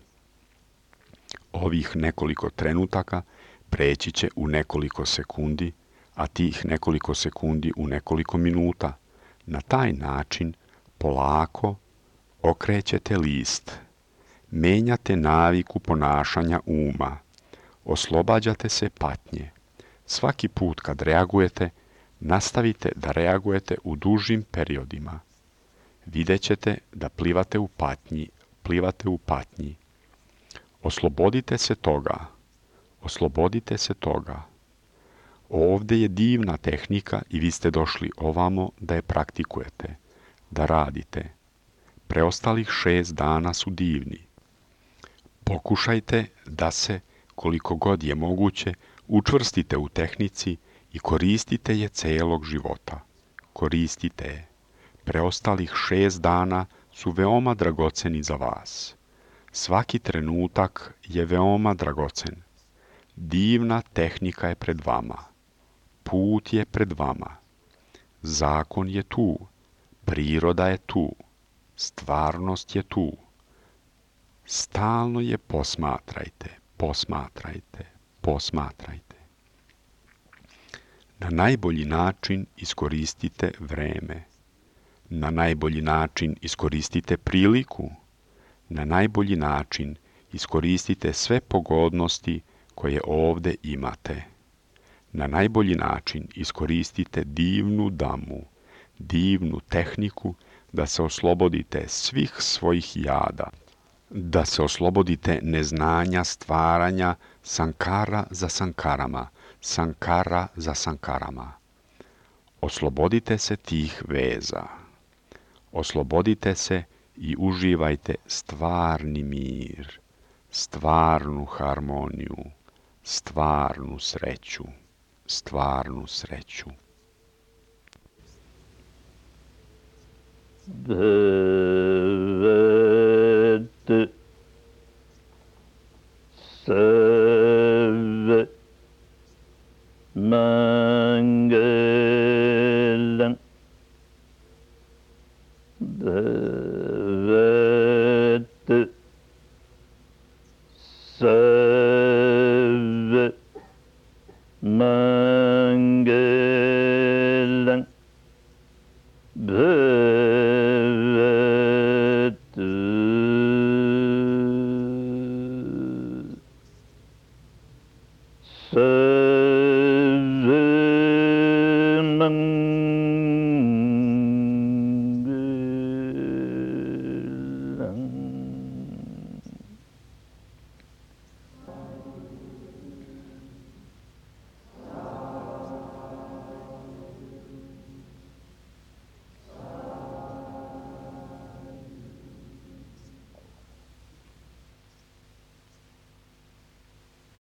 Ovih nekoliko trenutaka preći će u nekoliko sekundi, a tih nekoliko sekundi u nekoliko minuta. Na taj način polako okrećete list. Menjate naviku ponašanja uma. Oslobađate se patnje. Svaki put kad reagujete, nastavite da reagujete u dužim periodima. Vidjet ćete da plivate u patnji. Oslobodite se toga. Oslobodite se toga. Ovde je divna tehnika i vi ste došli ovamo da je praktikujete, da radite. Preostalih 6 dana su divni. Pokušajte da se, koliko god je moguće, učvrstite u tehnici i koristite je celog života. Koristite je. Preostalih 6 dana su veoma dragoceni za vas. Svaki trenutak je veoma dragocen. Divna tehnika je pred vama. Put je pred vama. Zakon je tu. Priroda je tu. Stvarnost je tu. Stalno je posmatrajte, posmatrajte, posmatrajte. Na najbolji način iskoristite vreme. Na najbolji način iskoristite priliku. Na najbolji način iskoristite sve pogodnosti koje ovde imate. Na najbolji način iskoristite divnu damu, divnu tehniku da se oslobodite svih svojih jada, da se oslobodite neznanja stvaranja sankara za sankarama, sankara za sankarama. Oslobodite se tih veza. Oslobodite se i uživajte stvarni mir, stvarnu harmoniju, stvarnu sreću, stvarnu sreću. The